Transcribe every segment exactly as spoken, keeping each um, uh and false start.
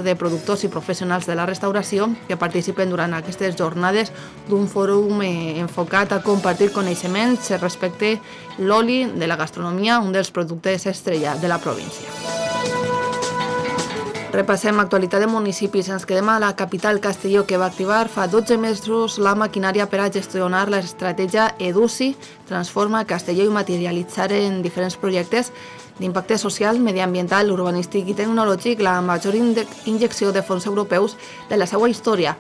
de productors i professionals de la restauració que participen durant aquestes jornades d'un fòrum eh, enfocat a compartir coneixements respecte l'oli de la gastronomia, un dels productes estrella de la província. Repassem l'actualitat de municipis. Ens quedem a la capital, Castelló, que va activar fa dotze mesos la maquinària per a gestionar l'estratègia EDUSI, Transforma Castelló, i materialitzar en diferents projectes d'impacte social, mediambiental, urbanístic i tecnològic la major injecció de fons europeus de la seva història.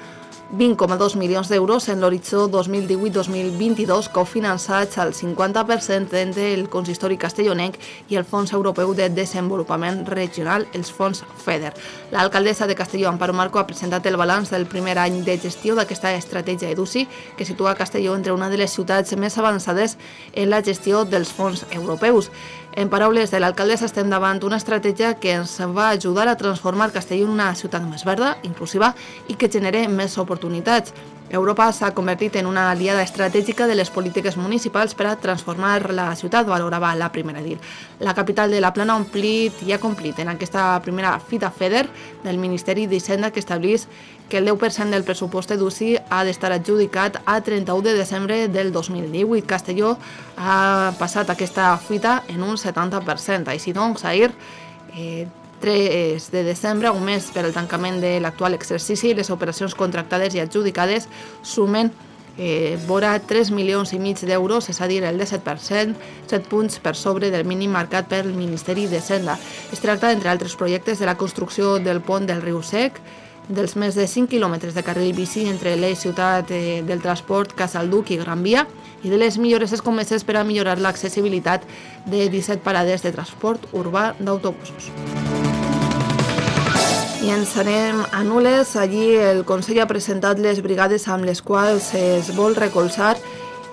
vint coma dos milions d'euros en l'horitzó dos mil divuit dos mil vint-i-dos, cofinançats al cinquanta per cent entre el consistori castellonenc i el Fons Europeu de Desenvolupament Regional, els fons FEDER. L'alcaldessa de Castelló, Amparo Marco, ha presentat el balanç del primer any de gestió d'aquesta estratègia EDUSI, que situa Castelló entre una de les ciutats més avançades en la gestió dels fons europeus. En paraules de l'alcaldessa, estem davant una estratègia que ens va ajudar a transformar Castelló en una ciutat més verda, inclusiva i que genere més oportunitats. Europa s'ha convertit en una aliada estratègica de les polítiques municipals per a transformar la ciutat, valorava la primera edil. La capital de la Plana ha omplit i ha complit en aquesta primera fita FEDER del Ministeri d'Hisenda, que establís que el deu per cent del pressupost EDUSI ha d'estar adjudicat a trenta-u de desembre del dos mil divuit. Castelló ha passat aquesta fita en un setanta per cent. Així doncs, ahir, eh, tres de desembre, un mes per al tancament de l'actual exercici, les operacions contractades i adjudicades sumen eh, vora tres milions i mig d'euros, és a dir, el disset per cent, set punts per sobre del mínim marcat pel Ministeri d'Hisenda. Es tracta, entre altres projectes, de la construcció del pont del Riu Sec, dels més de cinc quilòmetres de carril bici entre l'eix ciutat eh, del transport Casalduc i Gran Via, i de les millores escomeses per a millorar l'accessibilitat de disset parades de transport urbà d'autobusos. I ens anem a Nules. Allí el Consell ha presentat les brigades amb les quals es vol recolzar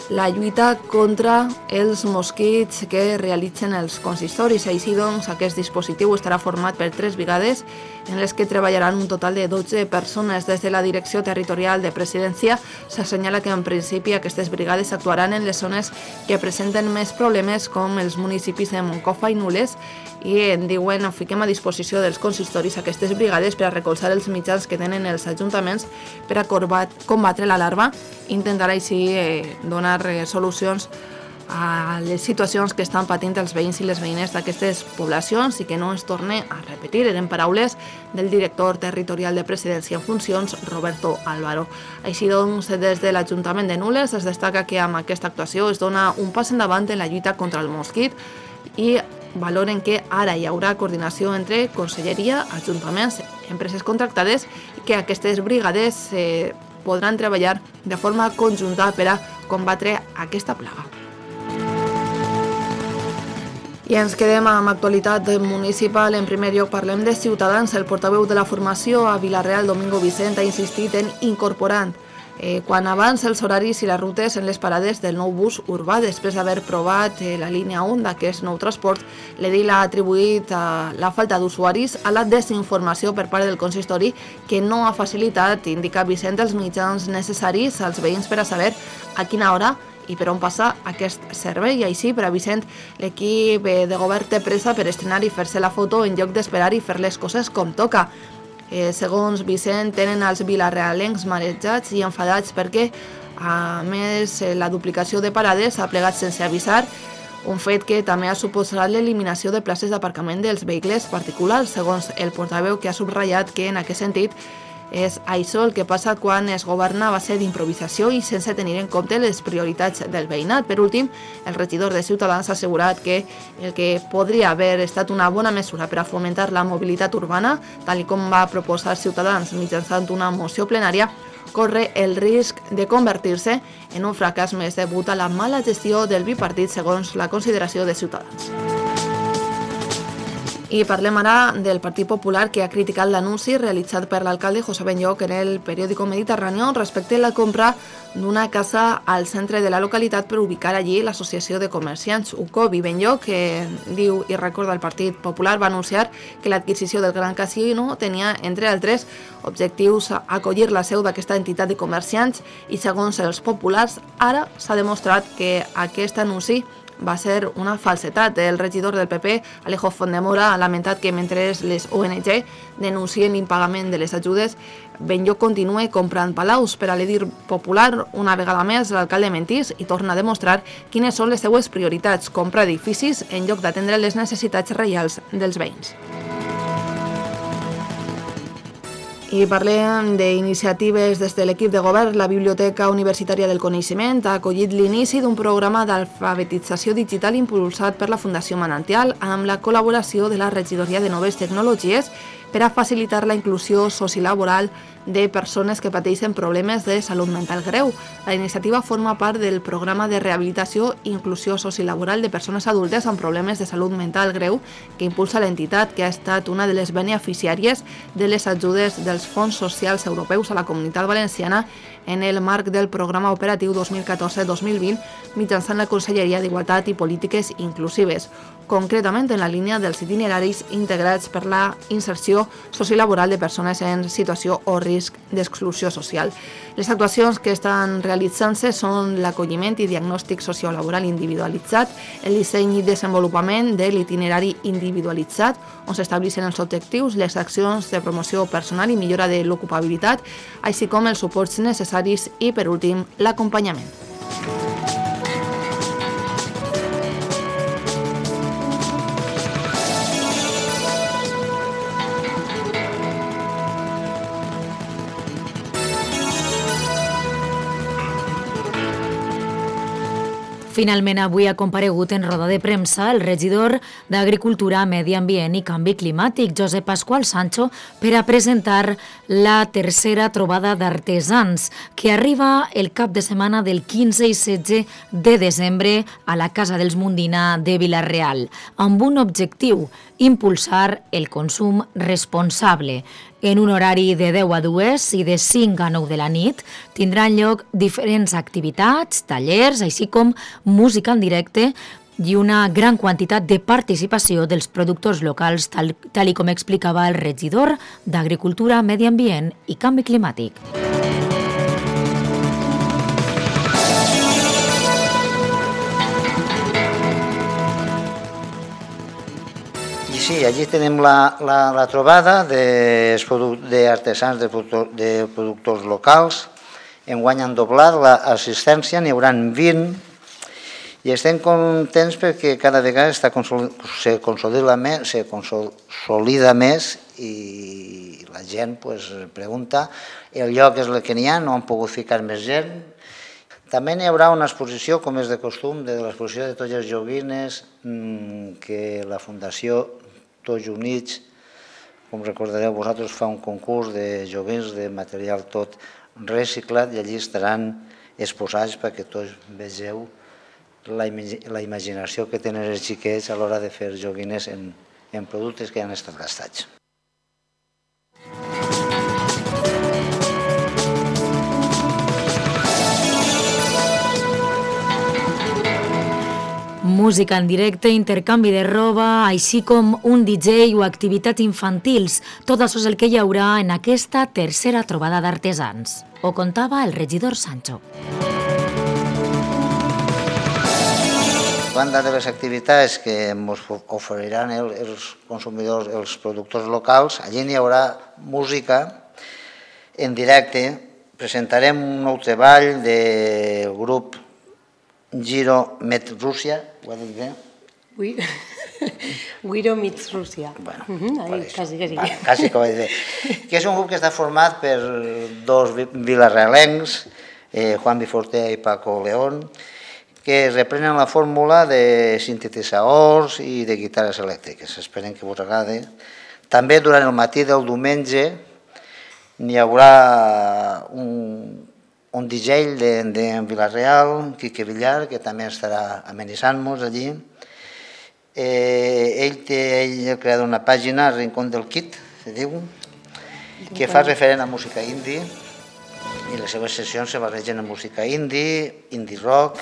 la lluita contra els mosquits que realitzen els consistoris. Així doncs, aquest dispositiu estarà format per tres brigades en les que treballaran un total de dotze persones. Des de la Direcció Territorial de Presidència s'assenyala que en principi aquestes brigades actuaran en les zones que presenten més problemes, com els municipis de Moncofa i Nules, i en diuen fiquem a disposició dels consistoris aquestes brigades per a recolzar els mitjans que tenen els ajuntaments per a combatre la larva, intentar així eh, donar eh, solucions a les situacions que estan patint els veïns i les veïnes d'aquestes poblacions i que no es torne a repetir. Eren paraules del director territorial de Presidència en funcions, Roberto Álvaro. Així doncs, des de l'Ajuntament de Nules es destaca que amb aquesta actuació es dona un pas endavant en la lluita contra el mosquit i valoren que ara hi haurà coordinació entre Conselleria, Ajuntaments, empreses contractades i que aquestes brigades eh, podran treballar de forma conjunta per a combatre aquesta plaga. I ens quedem amb actualitat municipal. En primer lloc parlem de Ciutadans. El portaveu de la formació a Vila-real, Domingo Vicent, ha insistit en incorporar eh, quan abans els horaris i les rutes en les parades del nou bus urbà. Després d'haver provat eh, la línia un d'aquest nou transport, l'edil ha atribuït a la falta d'usuaris a la desinformació per part del consistori, que no ha facilitat, indica Vicent, els mitjans necessaris als veïns per a saber a quina hora i per on passa aquest servei. I així, per a Vicent, l'equip de govern té pressa per estrenar i fer-se la foto en lloc d'esperar i fer les coses com toca. Eh, segons Vicent, tenen els vilarealencs marejats i enfadats perquè, a més, la duplicació de parades ha plegat sense avisar, un fet que també ha suposat l'eliminació de places d'aparcament dels vehicles particulars, segons el portaveu, que ha subratllat que, en aquest sentit, és això el que passa quan es governa a base d'improvisació i sense tenir en compte les prioritats del veïnat. Per últim, el regidor de Ciutadans ha assegurat que el que podria haver estat una bona mesura per a fomentar la mobilitat urbana, tal com va proposar Ciutadans mitjançant una moció plenària, corre el risc de convertir-se en un fracàs més degut a la mala gestió del bipartit, segons la consideració de Ciutadans. I parlem ara del Partit Popular, que ha criticat l'anunci realitzat per l'alcalde José Benlloc en el periòdico Mediterráneo respecte a la compra d'una casa al centre de la localitat per ubicar allí l'associació de comerciants Ucobi. Benlloc, que diu i recorda el Partit Popular, va anunciar que l'adquisició del Gran Casino tenia, entre altres objectius, acollir la seu d'aquesta entitat de comerciants i, segons els populars, ara s'ha demostrat que aquest anunci va ser una falsetat. El regidor del P P, Alejo Fondemora, ha lamentat que mentre les O N G denuncien l'impagament de les ajudes, Benlloc continue comprant palaus. Per a l'edir popular, una vegada més, l'alcalde mentís i torna a demostrar quines són les seues prioritats: comprar edificis en lloc d'atendre les necessitats reals dels veïns. I parlem d'iniciatives des de l'equip de govern. La Biblioteca Universitària del Coneixement ha acollit l'inici d'un programa d'alfabetització digital impulsat per la Fundació Manantial amb la col·laboració de la Regidoria de Noves Tecnologies per a facilitar la inclusió sociolaboral de persones que pateixen problemes de salut mental greu. La iniciativa forma part del programa de rehabilitació i inclusió sociolaboral de persones adultes amb problemes de salut mental greu que impulsa l'entitat, que ha estat una de les beneficiàries de les ajudes dels fons socials europeus a la Comunitat Valenciana en el marc del programa operatiu dos mil catorze dos mil vint mitjançant la Conselleria d'Igualtat i Polítiques Inclusives, concretament en la línia dels itineraris integrats per la inserció sociolaboral de persones en situació o risc d'exclusió social. Les actuacions que estan realitzant-se són l'acolliment i diagnòstic sociolaboral individualitzat, el disseny i desenvolupament de l'itinerari individualitzat, on s'estableixen els objectius, les accions de promoció personal i millora de l'ocupabilitat, així com els suports necessaris i, per últim, l'acompanyament. Finalment, avui ha comparegut en roda de premsa el regidor d'Agricultura, Medi Ambient i Canvi Climàtic, Josep Pasqual Sancho, per a presentar la tercera trobada d'artesans, que arriba el cap de setmana del quinze i setze de desembre a la Casa dels Mundina de Vila-real, amb un objectiu: impulsar el consum responsable. En un horari de deu a dues i de cinc a nou de la nit tindran lloc diferents activitats, tallers, així com música en directe i una gran quantitat de participació dels productors locals, tal, tal i com explicava el regidor d'Agricultura, Medi Ambient i Canvi Climàtic. Sí, allí tenim la, la, la trobada d'artesans, de, de, de productors locals. Enguany han doblat l'assistència, n'hi haurà vint, i estem contents perquè cada vegada està consol, se, consolida més, se consolida més i la gent pues, pregunta. El lloc és el que n'hi ha, no han pogut ficar més gent. També n'hi haurà una exposició, com és de costum, de l'exposició de totes les joguines que la Fundació Tots Units, com recordareu vosaltres, fa un concurs de joguins de material tot reciclat i allí estaran exposats perquè tots vegeu la, la imaginació que tenen els xiquets a l'hora de fer joguines en, en productes que han estat gastats. Música en directe, intercanvi de roba, així com un D J o activitats infantils. Tot això és el que hi haurà en aquesta tercera trobada d'artesans. Ho contava el regidor Sancho. A banda de les activitats que ens oferiran els consumidors, els productors locals, allí hi haurà música en directe. Presentarem un nou treball del grup Giro Met Rússia, ho ha dit bé? Oui, Guiro Meets Rússia. Bueno, quasi que sí. Quasi que ho ha dit bé. Que és un grup que està format per dos vilarealencs, Juan Bifortea i Paco León, que reprenen la fórmula de sintetitzadors i de guitarres elèctriques. Esperem que us agradi. També durant el matí del diumenge n'hi haurà un un D J de, de Vila-real, Quique Villar, que també estarà amenitzant-nos allí. Eh, ell té ell ha creat una pàgina, Rincón del Kit, se diu, que fa referent a música indie, i les seves sessions se barregen amb música indie, indie rock.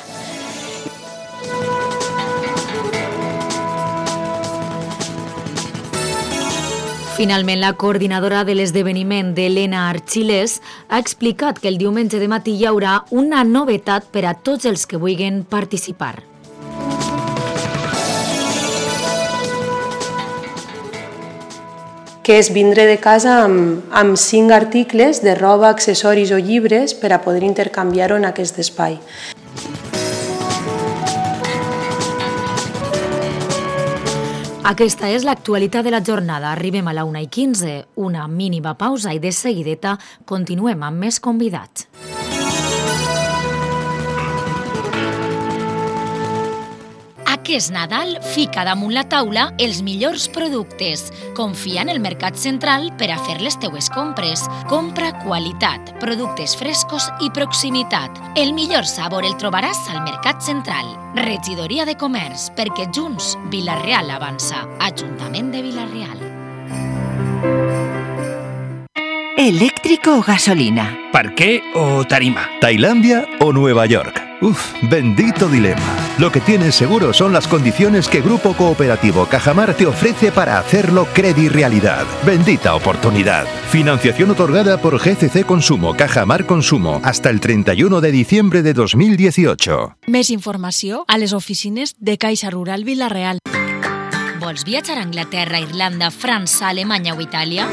Finalment, la coordinadora de l'esdeveniment d'Helena Archiles ha explicat que el diumenge de matí hi haurà una novetat per a tots els que vulguin participar. que és vindre de casa amb, amb cinc articles de roba, accessoris o llibres per a poder intercanviar-ho en aquest espai. Aquesta és l'actualitat de la jornada. Arribem a la una i quinze, una mínima pausa i de seguideta continuem amb més convidats. Aquest Nadal fica damunt la taula els millors productes. Confia en el Mercat Central per a fer les teues compres. Compra qualitat, productes frescos i proximitat. El millor sabor el trobaràs al Mercat Central. Regidoria de Comerç, perquè junts Vila-real avança. Ajuntament de Vila-real. ¿Eléctrico o gasolina? ¿Parqué o tarima? ¿Tailandia o Nueva York? Uf, bendito dilema. Lo que tienes seguro son las condiciones que Grupo Cooperativo Cajamar te ofrece para hacerlo Credi Realidad. Bendita oportunidad. Financiación otorgada por G C C Consumo, Cajamar Consumo, hasta el treinta y uno de diciembre de dos mil dieciocho. Més informació a les oficines de Caixa Rural Vila-real. Vols viatjar a Anglaterra, Irlanda, França, Alemanya o Itàlia?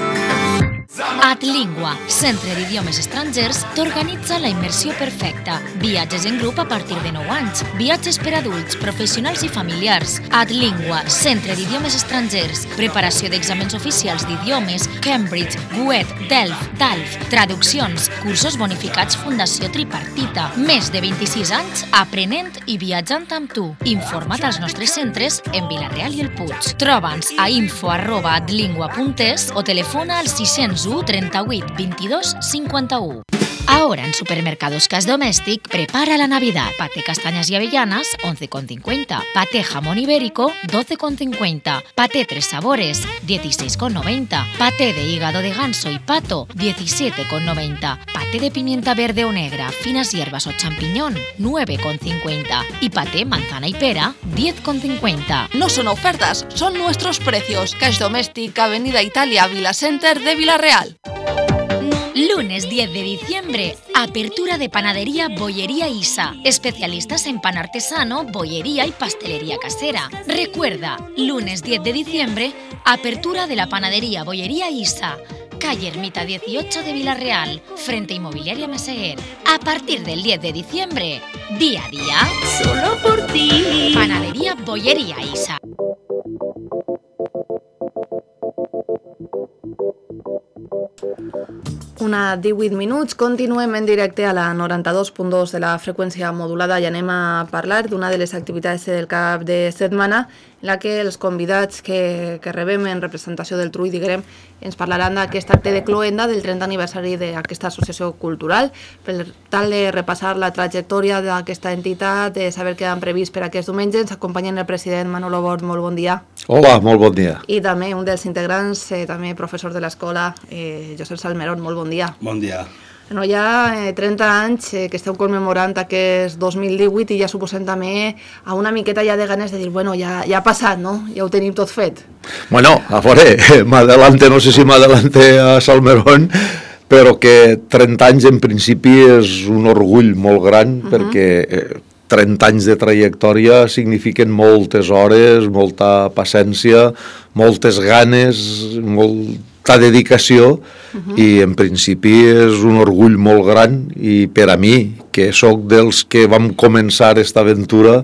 Adlingua, centre d'idiomes estrangers, t'organitza la immersió perfecta. Viatges en grup a partir de nou anys. Viatges per adults, professionals i familiars. Adlingua, centre d'idiomes estrangers. Preparació d'exàmens oficials d'idiomes, Cambridge, Goethe, Delft, Dalf. Traduccions, cursos bonificats Fundació Tripartita. Més de vint-i-sis anys aprenent i viatjant amb tu. Informa't als nostres centres en Vila-real i el Puig. Troba'ns a info arroba adlingua punt es o telefona al sis zero u trenta-vuit vint-i-dos cinquanta-u. Ahora en Supermercados Cas Domèstic prepara la Navidad. Paté castañas y avellanas, once con cincuenta. Paté jamón ibérico, doce con cincuenta. Paté tres sabores, dieciséis con noventa. Paté de hígado de ganso y pato, diecisiete con noventa. Paté de pimienta verde o negra, finas hierbas o champiñón, nueve con cincuenta. Y paté manzana y pera, diez con cincuenta. No son ofertas, son nuestros precios. Cash Domèstic, Avenida Italia, Vila Center de Vila-real. Lunes diez de diciembre, apertura de panadería Bollería Isa. Especialistas en pan artesano, bollería y pastelería casera. Recuerda, lunes diez de diciembre, apertura de la panadería Bollería Isa. Calle Ermita dieciocho de Vila-real, frente Inmobiliaria Meseguer. A partir del diez de diciembre, día a día, Solo por ti. panadería Bollería Isa. Una divuit minuts, continuem en directe a la noranta-dos punt dos de la freqüència modulada i anem a parlar d'una de les activitats del cap de setmana en la que els convidats que, que rebem en representació del Trull, diguem, ens parlaran d'aquest acte de cloenda del trenta aniversari d'aquesta associació cultural, per tal de repassar la trajectòria d'aquesta entitat, de saber què han previst per aquest diumenge. Ens acompanyen el president Manolo Bort, molt bon dia. Hola, molt bon dia. I també un dels integrants, eh, també professor de l'escola, eh, Josep Salmerón, molt bon dia. Bon dia. Bueno, hi ha eh, trenta anys eh, que esteu commemorant aquest dos mil divuit i ja suposem també a una miqueta ja de ganes de dir, bueno, ja, ja ha passat, no? Ja ho tenim tot fet. Bueno, a veure, m'adelante, no sé si m'adelante a Salmerón, però que trenta anys en principi és un orgull molt gran, uh-huh. perquè eh, trenta anys de trajectòria signifiquen moltes hores, molta paciència, moltes ganes, molta dedicació, uh-huh. i en principi és un orgull molt gran, i per a mi, que sóc dels que vam començar aquesta aventura,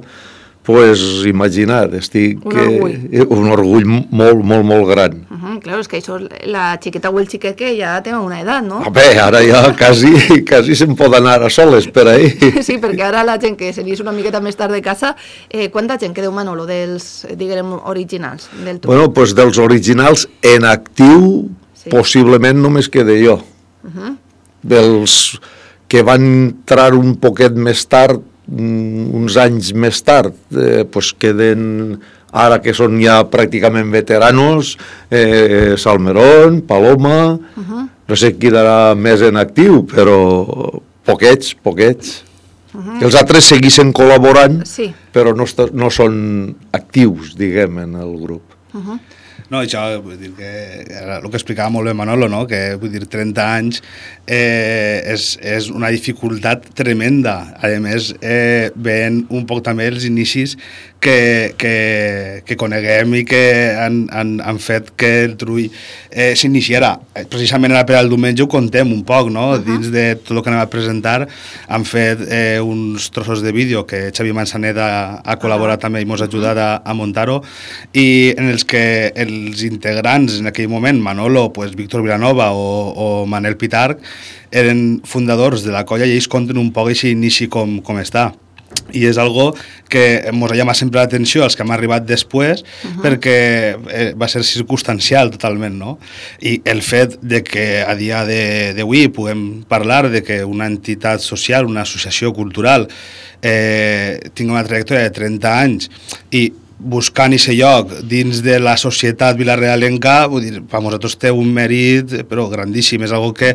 pues imagina't, estic... Un orgull. Eh, un orgull molt, molt, molt gran. Uh-huh, clar, és que això, la xiqueta o el xiquet que ja té una edat, no? A bé, ara ja quasi, quasi se'n pot anar a soles per ahí. Sí, perquè ara la gent que se li és una miqueta més tard de casa, eh, quanta gent quedeu, Manolo, dels, diguem, originals del Trull? Bueno, doncs dels originals en actiu, sí. Possiblement només quede jo. Uh-huh. Dels que van entrar un poquet més tard, uns anys més tard, eh, pues queden, ara que són ja pràcticament veteranos, eh, Salmerón, Paloma, uh-huh. no sé qui quedarà més en actiu, però poquets, poquets. Uh-huh. Els altres segueixen col·laborant, sí. però no, no són actius, diguem, en el grup. Uh-huh. No, això, vull dir que era el que explicava molt bé Manolo, no? Que vull dir, trenta anys eh, és, és una dificultat tremenda. A més, eh, veient un poc també els inicis que, que, que coneguem i que han, han, han fet que el Trull eh, s'iniciarà. Precisament ara per al diumenge ho contem un poc, no? Uh-huh. Dins de tot el que anem a presentar han fet eh, uns trossos de vídeo que Xavi Manzanet ha, ha col·laborat uh-huh. també i ens ha ajudat a, a muntar-ho, i en els que els integrants en aquell moment, Manolo, pues, Víctor Vilanova o, o Manel Pitarch, eren fundadors de la colla i ells conten un poc aquest inici com, com està. I és algo que ens ha llamat sempre l'atenció als que hem arribat després, uh-huh. perquè eh, va ser circumstancial totalment, no? I el fet de que a dia d'avui puguem parlar de que una entitat social, una associació cultural eh, tingui una trajectòria de trenta anys i buscant aquest lloc dins de la societat vilarealenca, vull dir, per nosaltres té un mèrit però grandíssim, és algo que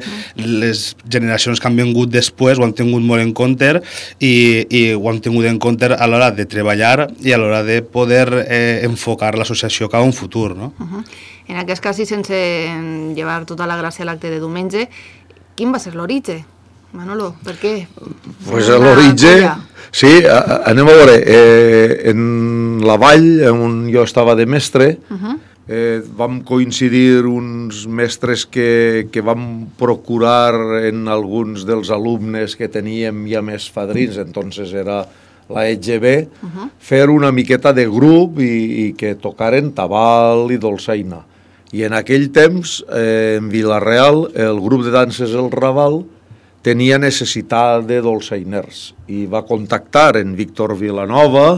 les generacions que han vingut després ho han tingut molt en compte i, i ho han tingut en compte a l'hora de treballar i a l'hora de poder eh, enfocar l'associació cap a un futur, no? Uh-huh. En aquest cas, i sense llevar tota la gràcia a l'acte de diumenge, quin va ser l'origen? Manolo, per què? Pues l'origen, sí, a, anem a veure, eh, en la vall, on jo estava de mestre, uh-huh. eh, vam coincidir uns mestres que, que vam procurar en alguns dels alumnes que teníem ja més fadrins, entonces era la E G B, uh-huh. fer una miqueta de grup i, i que tocaren tabal i dolçaina. I en aquell temps, eh, en Vila-real, el grup de danses El Raval tenia necessitat de dolçainers i va contactar en Víctor Vilanova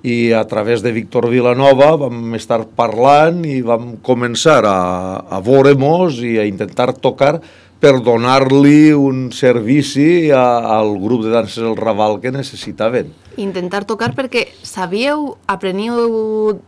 i a través de Víctor Vilanova vam estar parlant i vam començar a, a veure-mos i a intentar tocar per donar-li un servici a, al grup de danses El Raval que necessitaven. Intentar tocar perquè sabíeu, apreniu,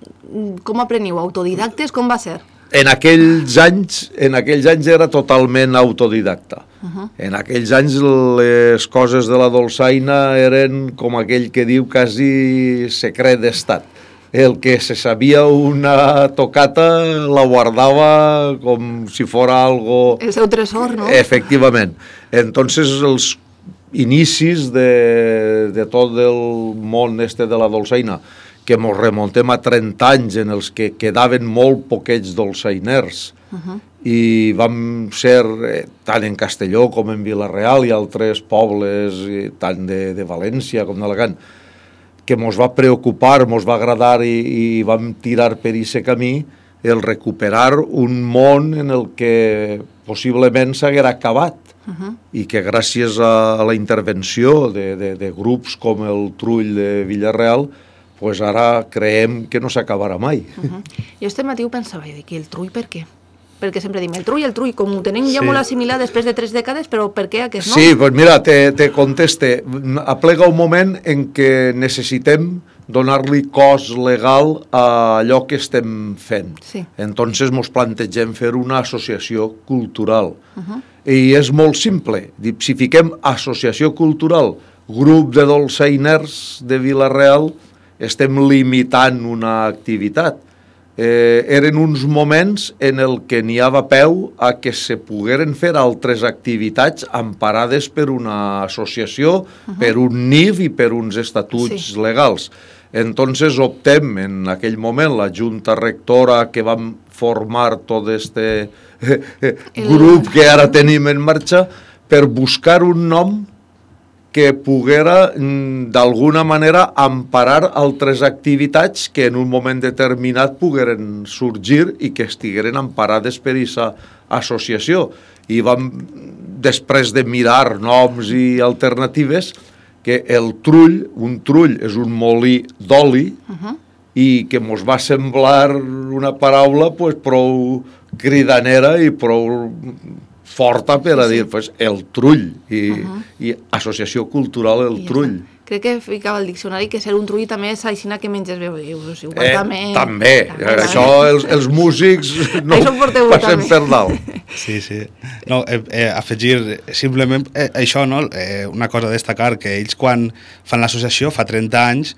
com apreniu? Autodidactes? Com va ser? En aquells anys, en aquells anys era totalment autodidacta. Uh-huh. En aquells anys les coses de la dolçaina eren, com aquell que diu, quasi secret d'estat. El que se sabia una tocata la guardava com si fora algo... El seu tresor, no? Efectivament. Entonces, els inicis de, de tot el món este de la dolçaina, que ens remontem a trenta anys en els que quedaven molt poquets dolçainers, uh-huh. i vam ser, eh, tant en Castelló com en Vila-real i altres pobles, eh, tant de, de València com d'Alacant, que ens va preocupar, ens va agradar i, i vam tirar per aquest camí el recuperar un món en el que possiblement s'haguera acabat, uh-huh. i que gràcies a la intervenció de, de, de grups com el Trull de Vila-real, pues ara creiem que no s'acabarà mai. Uh-huh. Jo este matí ho pensava, i dic, el Trull per què? Perquè sempre dim, el Trull, el Trull, com ho tenim ja sí. molt assimilat després de tres dècades, però per què aquest no? Sí, pues mira, te, te conteste. Aplega un moment en què necessitem donar-li cos legal a allò que estem fent. Sí. Entonces mos plantegem fer una associació cultural. Uh-huh. I és molt simple. Si fiquem associació cultural, grup de dolçainers de Vila-real, estem limitant una activitat. Eh, eren uns moments en el que n'hi havia peu a que se pogueren fer altres activitats emparades per una associació, uh-huh. per un N I F i per uns estatuts sí. legals. Entonces optem en aquell moment la junta rectora que vam formar tot este grup que ara tenim en marxa per buscar un nom que poguera d'alguna manera emparar altres activitats que en un moment determinat pogueren sorgir i que estigueren emparades per aquesta associació. I vam, després de mirar noms i alternatives, que el Trull, un trull és un molí d'oli, uh-huh. i que mos va semblar una paraula pues, prou cridanera i prou forta per a sí, sí. dir pues, el Trull i, uh-huh. i Associació Cultural El Trull. Crec que ficava al diccionari que ser un trull també és aixina que menges bé. Eh, també, també. també. Això els, els músics no passen per dalt. Sí, sí. No, eh, eh, afegir simplement eh, això, no? Eh, una cosa a destacar, que ells quan fan l'associació fa trenta anys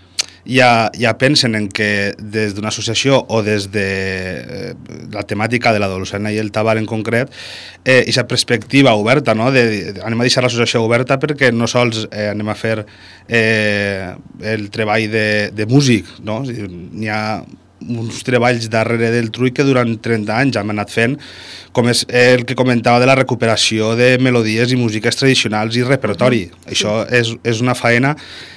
ja, ja pensen en que des d'una associació o des de eh, la temàtica de la dolçaina i el tabac en concret, eh, i aquesta perspectiva oberta, no? de, de, anem a deixar l'associació oberta perquè no sols eh, anem a fer eh, el treball de, de músic, no? N'hi ha uns treballs darrere del Trull que durant trenta anys hem anat fent, com és el que comentava de la recuperació de melodies i músiques tradicionals i repertori. Uh-huh. Això és, és una faena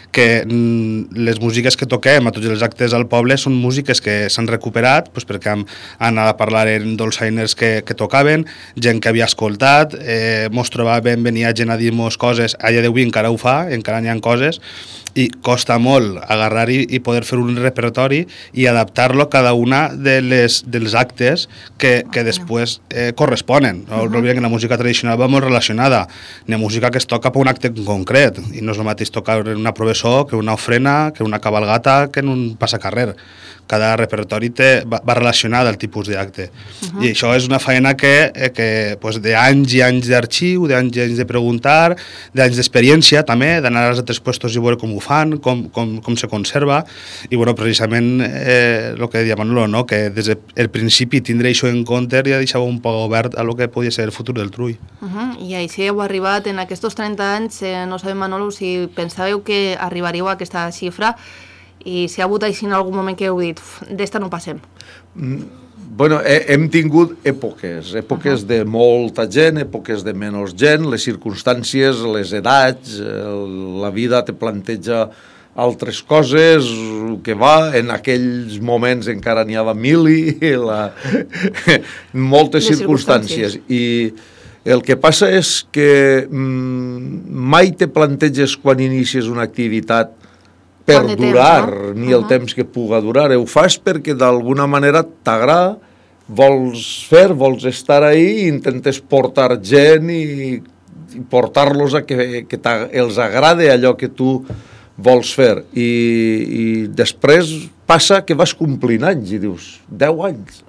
que les músiques que toquem a tots els actes al poble són músiques que s'han recuperat doncs perquè han, han anat a parlar en dolçainers que, que tocaven, gent que havia escoltat, eh, mos trobaven, venia gent a dir-nos coses, a dia d'avui encara ho fa, encara n'hi ha coses, i costa molt agarrar-hi i poder fer un repertori i adaptar-lo a cada una de les, dels actes que, que després eh, corresponen. No uh-huh. oblidem que la música tradicional va molt relacionada, n'hi ha música que es toca per un acte en concret, i no és el mateix tocar en una prova que una ofrena, que una cabalgata, que en un passacarrer. Cada repertori té, va, va relacionat al tipus d'acte. Uh-huh. I això és una feina que, eh, que pues, d'anys i anys d'arxiu, d'anys i anys de preguntar, d'anys d'experiència també, d'anar als altres puestos i veure com ho fan, com, com, com se conserva, i bueno, precisament eh, el que deia Manolo, no? Que des del principi tindre això en compte ja deixava un poc obert a lo que podia ser el futur del Trull. Uh-huh. I així heu arribat en aquests trenta anys, eh, no sabem, Manolo, si pensàveu que arribaríeu a aquesta xifra, i si ha hagut així en algun moment que heu dit d'esta no passem. Mm, bueno, he, hem tingut èpoques, èpoques uh-huh. de molta gent, èpoques de menys gent, les circumstàncies, les edats, el, la vida te planteja altres coses, que va, en aquells moments encara n'hi havia mili, la, moltes les circumstàncies. I el que passa és que mm, mai te planteges quan inicies una activitat per durar, temps, no? ni el uh-huh. temps que puga durar. Ho fas perquè d'alguna manera t'agrada, vols fer, vols estar ahí, i intentes portar gent i, i portar-los a que, que els agrade allò que tu vols fer. I, i després passa que vas complint anys i dius, deu anys,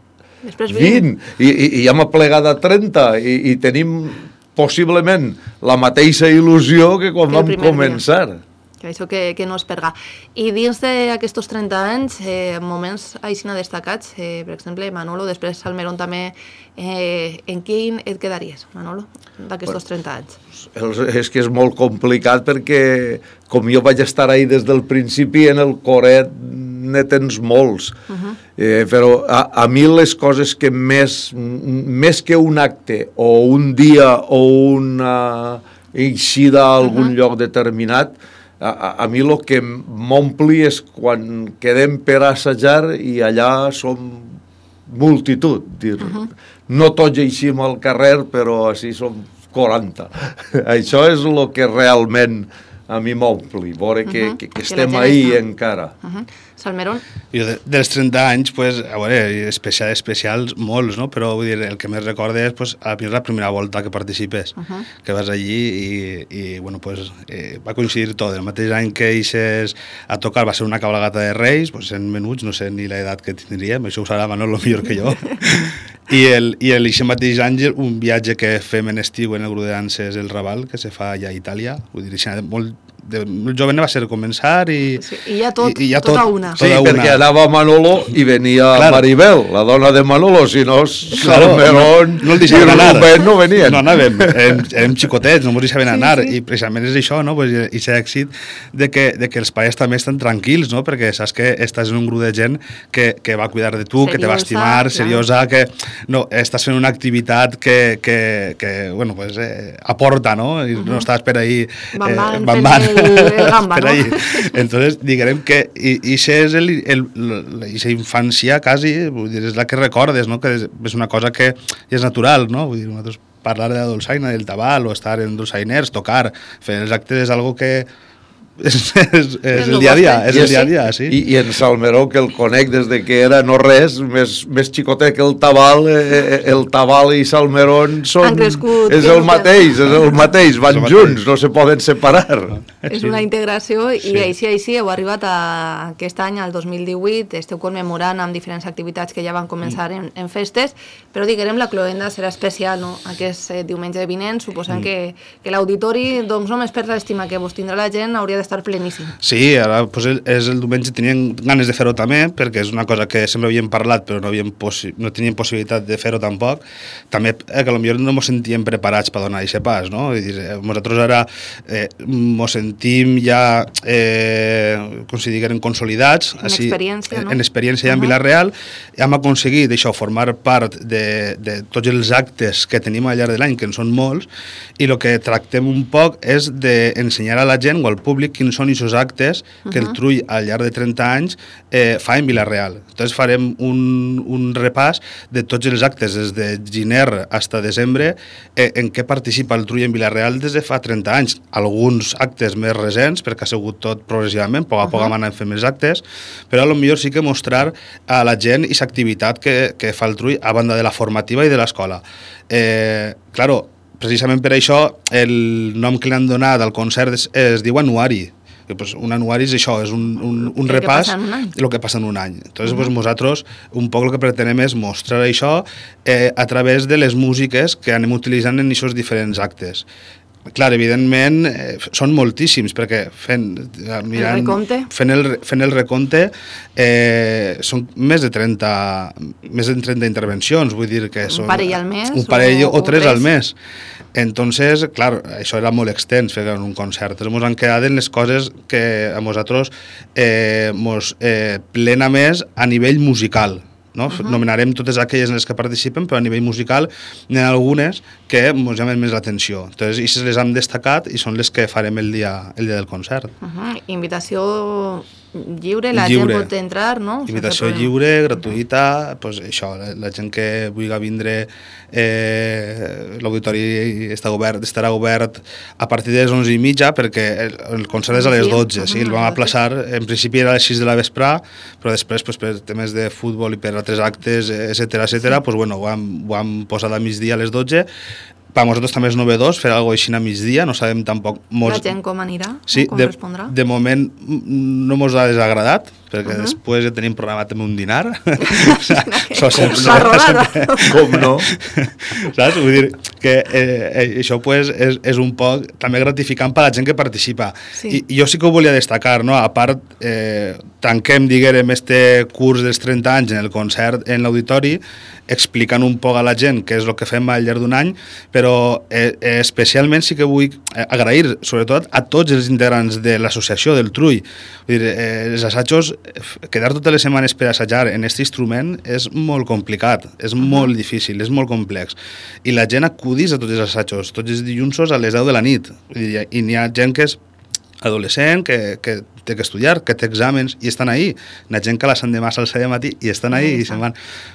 després vint, i, i, i ja m'ha plegat a trenta, i, i tenim possiblement la mateixa il·lusió que quan que vam començar. Dia. Que això que, que no es perga. I dins d'aquests trenta anys, eh, moments així destacats, eh, per exemple, Manolo, després Salmerón també, eh, en quin et quedaries, Manolo, d'aquests trenta anys? És que és molt complicat perquè, com jo vaig estar ahí des del principi, en el coret ne tens molts. Uh-huh. eh, però a, a mi les coses que més, més que un acte o un dia o una eixida a algun uh-huh. lloc determinat, A, a, a mi el que m'ompli és quan quedem per assajar i allà som multitud. Dir, uh-huh. No tots eixim al carrer, però així som quaranta. Això és el que realment a mi m'ompli, veure que, uh-huh. que, que estem ahí està. Encara. Uh-huh. Salmerón? Jo de, dels trenta anys, pues, a veure, especials, especials molts, no? Però vull dir, el que més recordo és pues, a mi és la primera volta que participes, uh-huh. que vas allí i, i bueno, pues, eh, va coincidir tot. El mateix any que eixes a tocar va ser una cabalgata de Reis, pues, en menuts, no sé ni l'edat que tindríem, això ho sabrà Manolo millor que jo. I el, i el aquest mateix any un viatge que fem en estiu en el grup de danses El Raval, que se fa allà a Itàlia, vull dir, molt, de, molt jove va ser començar i... Sí, i ja tot, i, i ja tota tot, una. Sí, tota perquè una. Anava Manolo i venia claro. Maribel, la dona de Manolo, si no Salmerón claro, no, no i Rubén no venien. No anàvem, érem, érem xicotets, no ens deixaven anar, sí, sí. I precisament és això, no? Pues, i aquest èxit de que, de que els pares també estan tranquils, no? Perquè saps que estàs en un grup de gent que, que va cuidar de tu, seriosa, que te va estimar, clar. Seriosa, que no, estàs fent una activitat que, que, que bueno, pues, eh, aporta, no? I uh-huh. no estàs per ahí van, van, eh, van, van, el, el gamba, per no? ahí. Entonces, diguem que i, i és el, el, la infància quasi, vull dir, és la que recordes, no? Que és, és una cosa que és natural, no? Vull dir, nosaltres parlar de la dolçaina, del tabal, o estar en dolçainers, tocar, fer els actes és algo que és, és, és el dia a dia, és el dia a dia, sí. I, i en Salmeró, que el conec des de que era no res, més, més xicotet que el tabal, eh, el tabal i Salmerón són... Crescut, és el mateix, és el mateix, van el junts, mateix. No se poden separar. És una integració i sí. així, així heu arribat a aquest any, al dos mil divuit, esteu commemorant amb diferents activitats que ja van començar mm. en, en festes, però diguem la cloenda serà especial, no? Aquest eh, diumenge vinent, suposant mm. que, que l'auditori, doncs només per l'estima que vos tindrà la gent, hauria de d'estar pleníssim. Sí, ara pues, és el diumenge, tenien ganes de fer-ho també, perquè és una cosa que sempre havíem parlat, però no, havíem possi no teníem possibilitat de fer-ho tampoc. També eh, que potser no ens sentíem preparats per donar aquest pas, no? Vull dir, eh, nosaltres ara eh, ens sentim ja, eh, com si digueren, consolidats. En així, experiència, no? En experiència ja en uh -huh. Vila-real. Hem aconseguit, això, formar part de, de tots els actes que tenim al llarg de l'any, que en són molts, i el que tractem un poc és d'ensenyar a la gent o al públic quins són aquests actes que uh -huh. el Trull al llarg de trenta anys eh, fa en Vila-real. Entonces farem un, un repàs de tots els actes des de gener fins a desembre eh, en què participa el Trull en Vila-real des de fa trenta anys. Alguns actes més recents, perquè ha sigut tot progressivament, a poc a poc hem anat fent més actes, però a lo millor sí que mostrar a la gent aquesta activitat que, que fa el Trull a banda de la formativa i de l'escola. Eh, claro, precisament per això el nom que li han donat al concert es, es diu anuari. Que, pues, un anuari és això, és un, un, un repàs de lo que passa en un any. Entonces, uh -huh. pues, nosaltres un poc el que pretenem és mostrar això eh, a través de les músiques que anem utilitzant en aquests diferents actes. Clar, evidentment, eh, són moltíssims, perquè fent, mirant, el recompte, fent, el, fent el recompte eh, són més de trenta més de trenta intervencions, vull dir que són... Un parell al mes? Un parell o, o, o tres, tres al mes. Entonces, clar, això era molt extens fer en un concert. Ens han quedat en les coses que a nosaltres eh, mos eh, plena més a nivell musical. No? Uh -huh. Nomenarem totes aquelles en les que participen, però a nivell musical n'hi ha algunes que ens llamen més l'atenció. Entonces, aquestes les hem destacat i són les que farem el dia, el dia del concert. Uh -huh. Invitació lliure, la lliure. gent pot entrar, no? Invitació lliure, gratuïta, pues això, la, la gent que vulgui vindre, eh, l'auditori està obert, estarà obert a partir de les onze i mitja, perquè el, el concert és a les dotze, sí, el vam aplaçar, en principi era a les sis de la vesprà, però després, pues, per temes de futbol i per altres actes, etcètera, etcètera, pues, bueno, ho hem, ho hem posat a migdia a les dotze. Per a nosaltres també és novedós fer alguna cosa així a migdia, no sabem tampoc... Molts... La gent com anirà? Sí, com de, respondrà? De moment no mos ha desagradat, perquè uh -huh. després ja tenim programat també un dinar. So, sempre, la rodada. Com no? Saps? Vull dir que eh, això pues, és, és un poc també gratificant per a la gent que participa. Sí. I, I jo sí que ho volia destacar, no? A part, eh, tanquem, diguem, este curs dels trenta anys en el concert en l'auditori, explicant un poc a la gent què és el que fem al llarg d'un any, però eh, especialment sí que vull agrair, sobretot, a tots els integrants de l'associació del Trull. Vull dir, eh, els assajos, quedar totes les setmanes per assajar en aquest instrument és molt complicat, és uh -huh. molt difícil, és molt complex. I la gent acudís a tots els assajos, tots els dilluns a les deu de la nit. Vull dir, i n'hi ha gent que és adolescent, que, que té que estudiar, que té exàmens i estan ahí. N'hi ha gent que a les l'endemà se'ls de matí i estan ahí i se'n van.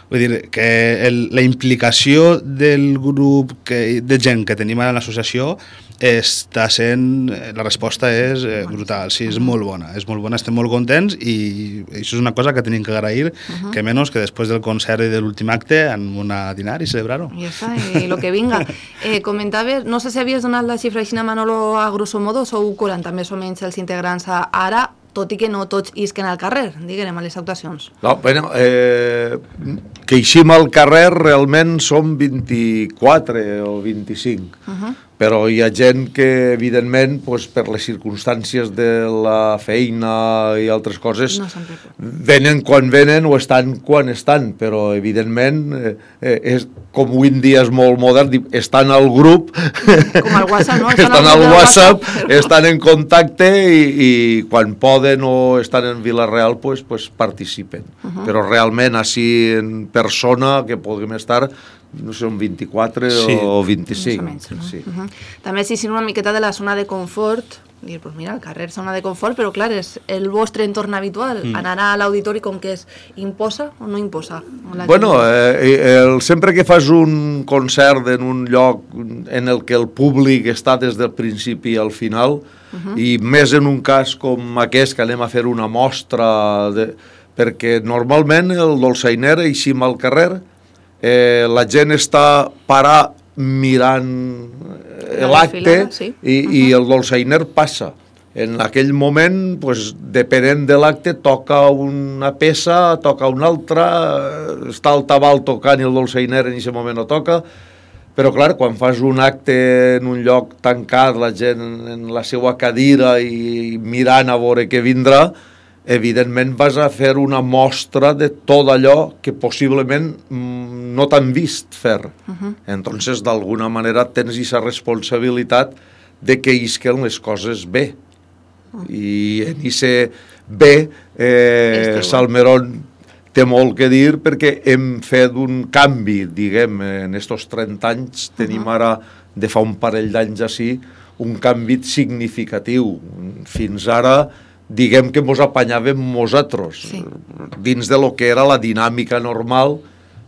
Vull dir que el, la implicació del grup que, de gent que tenim a l'associació està sent, la resposta és eh, brutal, sí, és molt bona, és molt bona, estem molt contents i això és una cosa que tenim que agrair, uh -huh. que menys que després del concert i de l'últim acte en una dinar i celebrar-ho. I ja està, i el que vinga. Eh, comentaves, no sé si havies donat la xifra així a Manolo, a grosso modo, sou quaranta més o menys els integrants ara, tot i que no tots isquen al carrer, diguem, a les actuacions. No, bueno, eh, que eixim al carrer realment som vint-i-quatre o vint-i-cinc. Uh -huh. Però hi ha gent que, evidentment, pues, per les circumstàncies de la feina i altres coses, no venen quan venen o estan quan estan, però, evidentment, eh, és, com avui en dia és molt modern, estan al grup, com al WhatsApp, no? estan, estan al WhatsApp, WhatsApp però... estan en contacte i, i quan poden o estan en Vila-real, pues, pues, participen. Uh -huh. Però realment, així en persona, que puguem estar... no sé, un vint-i-quatre sí. o vint-i-cinc. Menys, no? Sí. Uh -huh. També si sí, una miqueta de la zona de confort, dir, pues mira, el carrer és zona de confort, però clar, és el vostre entorn habitual, mm. anar a l'auditori com que és, imposa o no imposa? Bueno, eh, el, sempre que fas un concert en un lloc en el que el públic està des del principi al final, uh -huh. i més en un cas com aquest, que anem a fer una mostra, de, perquè normalment el dolçainer eixim al carrer, Eh, la gent està parar mirant l'acte sí. i, uh -huh. i el dolçainer passa. En aquell moment, pues, depenent de l'acte, toca una peça, toca una altra, està el tabal tocant i el dolçainer en aquest moment no toca, Però, clar, quan fas un acte en un lloc tancat, la gent en la seva cadira i mirant a veure què vindrà, evidentment vas a fer una mostra de tot allò que possiblement no t'han vist fer. Uh-huh. Entonces, d'alguna manera, tens aquesta responsabilitat de que isquen les coses bé. Uh-huh. I en aquest bé, eh, Salmerón té molt que dir perquè hem fet un canvi, diguem, en estos trenta anys, tenim ara, de fa un parell d'anys així, un canvi significatiu. Fins ara, diguem que mos apanyàvem nosaltres, sí. dins de lo que era la dinàmica normal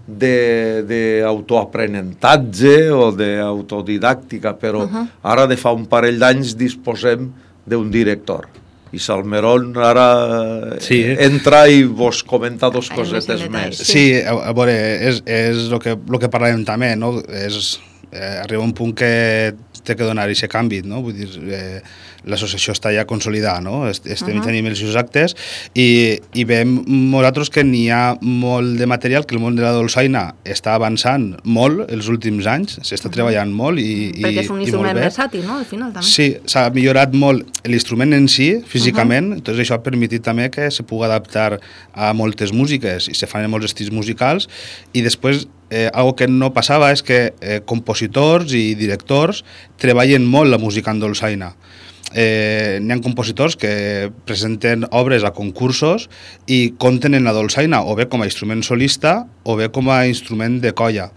d'autoaprenentatge o d'autodidàctica, però uh-huh. ara, de fa un parell d'anys, disposem d'un director. I Salmerón ara sí. entra i vos comenta dos cosetes més. Sí, a, a veure, és, és el que, lo que parlàvem també, no? És, eh, arriba un punt que té que donar aquest canvi, no? Vull dir, eh, l'associació està ja consolidada, no? Estem uh-huh. tenint els seus actes i, i veiem nosaltres que n'hi ha molt de material, que el món de la dolçaina està avançant molt els últims anys, s'està uh-huh. treballant molt i, i, perquè és un instrument versàtil, no? Al final també. Sí, s'ha millorat molt l'instrument en si, físicament, uh-huh. doncs això ha permitit també que se pugui adaptar a moltes músiques i se fan en molts estils musicals i després Eh, algo que no passava és que eh, compositors i directors treballen molt la música en dolçaina. Eh, n'hi ha compositors que presenten obres a concursos i compten en la dolçaina o bé com a instrument solista o bé com a instrument de colla.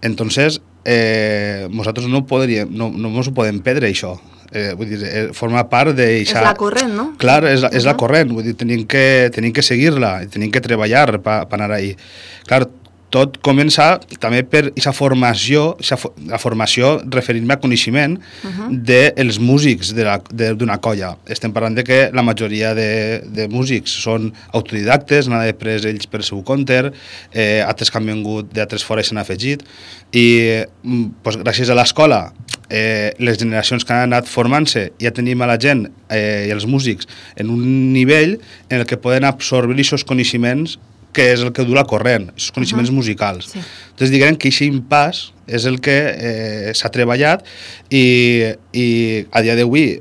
Entonces, eh, nosaltres no, podríem, no, no ens ho podem perdre, això. Eh, vull dir, eh, forma part de... És la corrent, no? Clar, és, és uh-huh. la corrent, vull dir, tenim que, tenim que seguir-la, tenim que treballar per pa anar ahí. Clar, tot comença també per aquesta formació, la formació referint-me a coneixement uh-huh. dels músics d'una colla. Estem parlant de que la majoria de, de músics són autodidactes, n'han après ells per seu compte, eh, altres que han vingut d'altres fora i s'han afegit, i pues, gràcies a l'escola, eh, les generacions que han anat formant-se, ja tenim a la gent eh, i els músics en un nivell en el que poden absorbir aquests coneixements que és el que du la corrent, els coneixements uh-huh. musicals. Sí. Entonces, diguem que aquest impàs és el que eh, s'ha treballat i, i a dia d'avui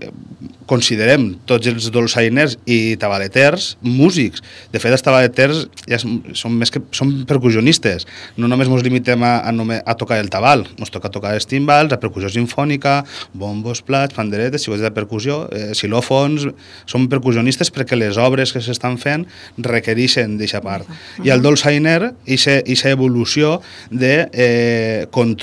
considerem tots els dolçainers i tabaleters músics. De fet, els tabaleters ja són, més que, són percussionistes. No només ens limitem a, a, a tocar el tabal, ens toca tocar els timbals, la percussió sinfònica, bombos, plats, panderetes, xicots de percussió, eh, xilòfons... Són percussionistes perquè les obres que s'estan fent requereixen d'aquesta part. Uh-huh. I el dolçainer, aquesta evolució de eh, cont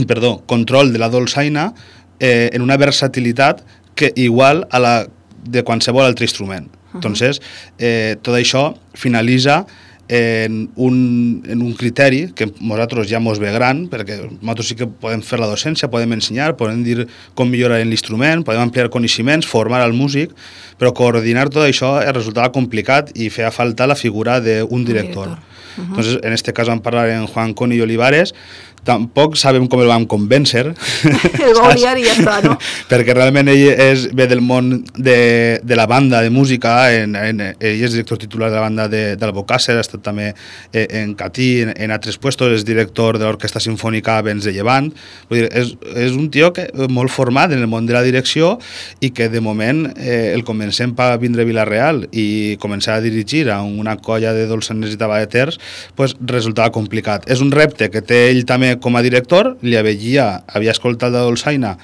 perdó, control de la dolçaina eh, en una versatilitat que igual a la de qualsevol altre instrument. Uh-huh. Entonces, eh, tot això finalitza en un, en un criteri que nosaltres ja mos ve gran, perquè nosaltres sí que podem fer la docència, podem ensenyar, podem dir com millorar l'instrument, podem ampliar coneixements, formar al músic, però coordinar tot això resultava complicat i feia falta la figura d'un director. director. Uh-huh. Entonces, en este cas vam parlar en Juan Coni Olivares. Tampoc sabem com el vam convèncer. El va odiar i ja està, no? Perquè realment ell és, ve del món de, de la banda de música, en, en, ell és director titular de la banda de, de l'Albocàsser, ha estat també en Catí, en, en altres puestos, és director de l'Orquestra Sinfònica Vents de Llevant. Vull dir, és, és un tio que, molt format en el món de la direcció i que de moment eh, el comencem per vindre a Vila-real i començar a dirigir a una colla de dolçainers i tabaleters, pues, resultava complicat. És un repte que té ell també com a director, li avegia, havia escoltat la dolçaina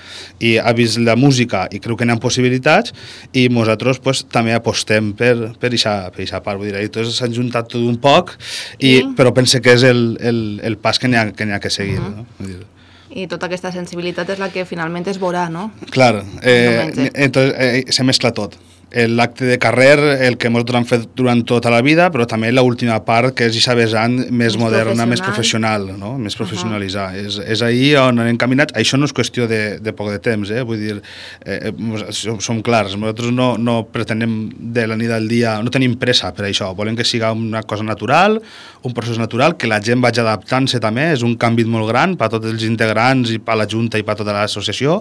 i ha vist la música i creu que n'hi ha possibilitats i nosaltres pues, també apostem per per aquesta part. Vull dir, tots s'han juntat tot un poc, i, I... però pense que és el, el, el pas que n'hi ha, que, ha que seguir. Uh-huh. No? Vull dir, i tota aquesta sensibilitat és la que finalment es veurà, no? Clar, eh, entonces eh, se mescla tot. L'acte de carrer, el que nosaltres hem fet durant tota la vida, però també l'última part, que és aquesta vessant més, més moderna, més professional, no? Més professionalitzar. Uh-huh. És, és ahir on anem caminats. Això no és qüestió de, de poc de temps, eh? Vull dir, eh, som, som clars, nosaltres no, no pretenem de la nit al dia, no tenim pressa per això, volem que siga una cosa natural, un procés natural, que la gent vagi adaptant-se també, és un canvi molt gran per a tots els integrants i per a la Junta i per a tota l'associació,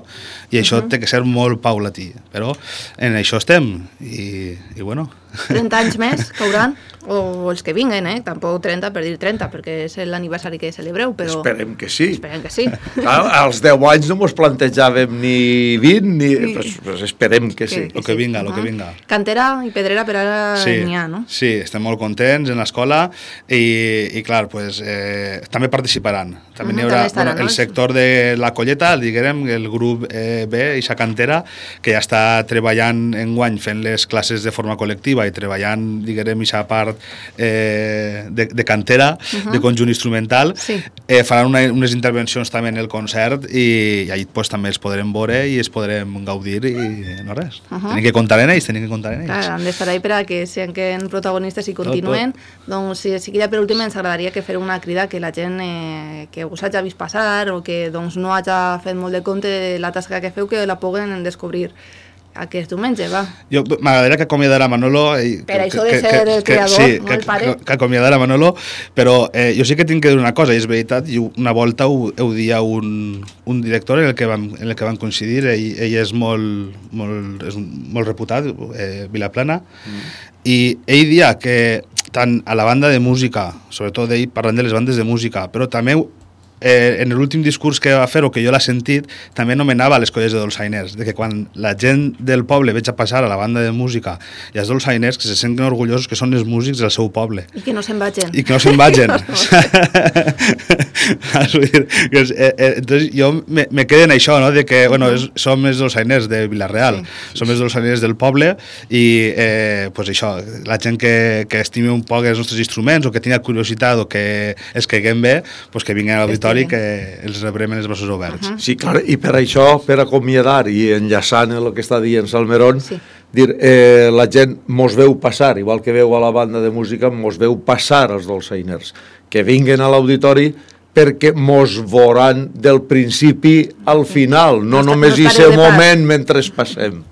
i això uh-huh. té que ser molt paulatí, però en això estem. i, i bueno... trenta anys més cauran, o els que vinguen, eh? Tampoc trenta per dir trenta, perquè és l'aniversari que celebreu, però... Esperem que sí. Esperem que sí. Clar, als deu anys no mos plantejàvem ni vint, ni... Sí. Pues, pues esperem que, que sí. El que vinga, el uh -huh. que vinga. Cantera i pedrera per ara sí, n'hi ha, no? Sí, estem molt contents en l'escola i, i clar, pues, eh, també participaran. També uh -huh, n'hi haurà estarà, bueno, no? El sector de la Colleta, el diguem, el grup eh, B, ixa cantera, que ja està treballant enguany fent les classes de forma col·lectiva i treballant, diguem, ixa part eh, de, de cantera, uh -huh. de conjunt instrumental, sí. eh, faran una, unes intervencions també en el concert i, i allà pues, també els podrem veure i els podrem gaudir i no res. Uh -huh. Tenim que comptar en ells, tenim que comptar en ells. Clar, han d'estar ahí per a que siguin protagonistes i continuen. Tot, tot. Doncs si, si ja per últim ens agradaria que fer una crida que la gent eh, que us hagi vist passar o que doncs, no hagi fet molt de compte de la tasca que feu, que la puguen descobrir aquest diumenge, va. Jo m'agradaria que acomiadara Manolo... I, per que, això de que, ser que, el creador, que, sí, no que, el pare. Que, que acomiadara Manolo, però eh, jo sí que tinc que dir una cosa, i és veritat, i una volta ho, ho dia un, un director en el que vam, en el que vam coincidir, ell, ell és molt, molt, és molt reputat, eh, Vilaplana, mm. i ell dia que tant a la banda de música, sobretot ell parlant de les bandes de música, però també Eh, en l'últim discurs que va fer, o que jo l'ha sentit, també anomenava les colles de dolçainers, de que quan la gent del poble veig a passar a la banda de música i els dolçainers, que se senten orgullosos que són els músics del seu poble. I que no se'n vagin. I que no se'n vagin. Entonces jo me, me quedo en això, no? De que, bueno, és, som els dolçainers de Vila-real, sí, som els dolçainers del poble i, eh, pues això, la gent que, que estimi un poc els nostres instruments o que tingui curiositat o que es caiguem bé, pues que vinguin a l'auditori i que els rebrem en els braços oberts. Uh -huh. Sí, clar, i per això, per acomiadar i enllaçant el que està dient Salmerón, sí. dir, eh, la gent mos veu passar, igual que veu a la banda de música, mos veu passar els dolçainers, que vinguen a l'auditori perquè mos veuran del principi al final, no, no només no aquest moment mentre passem.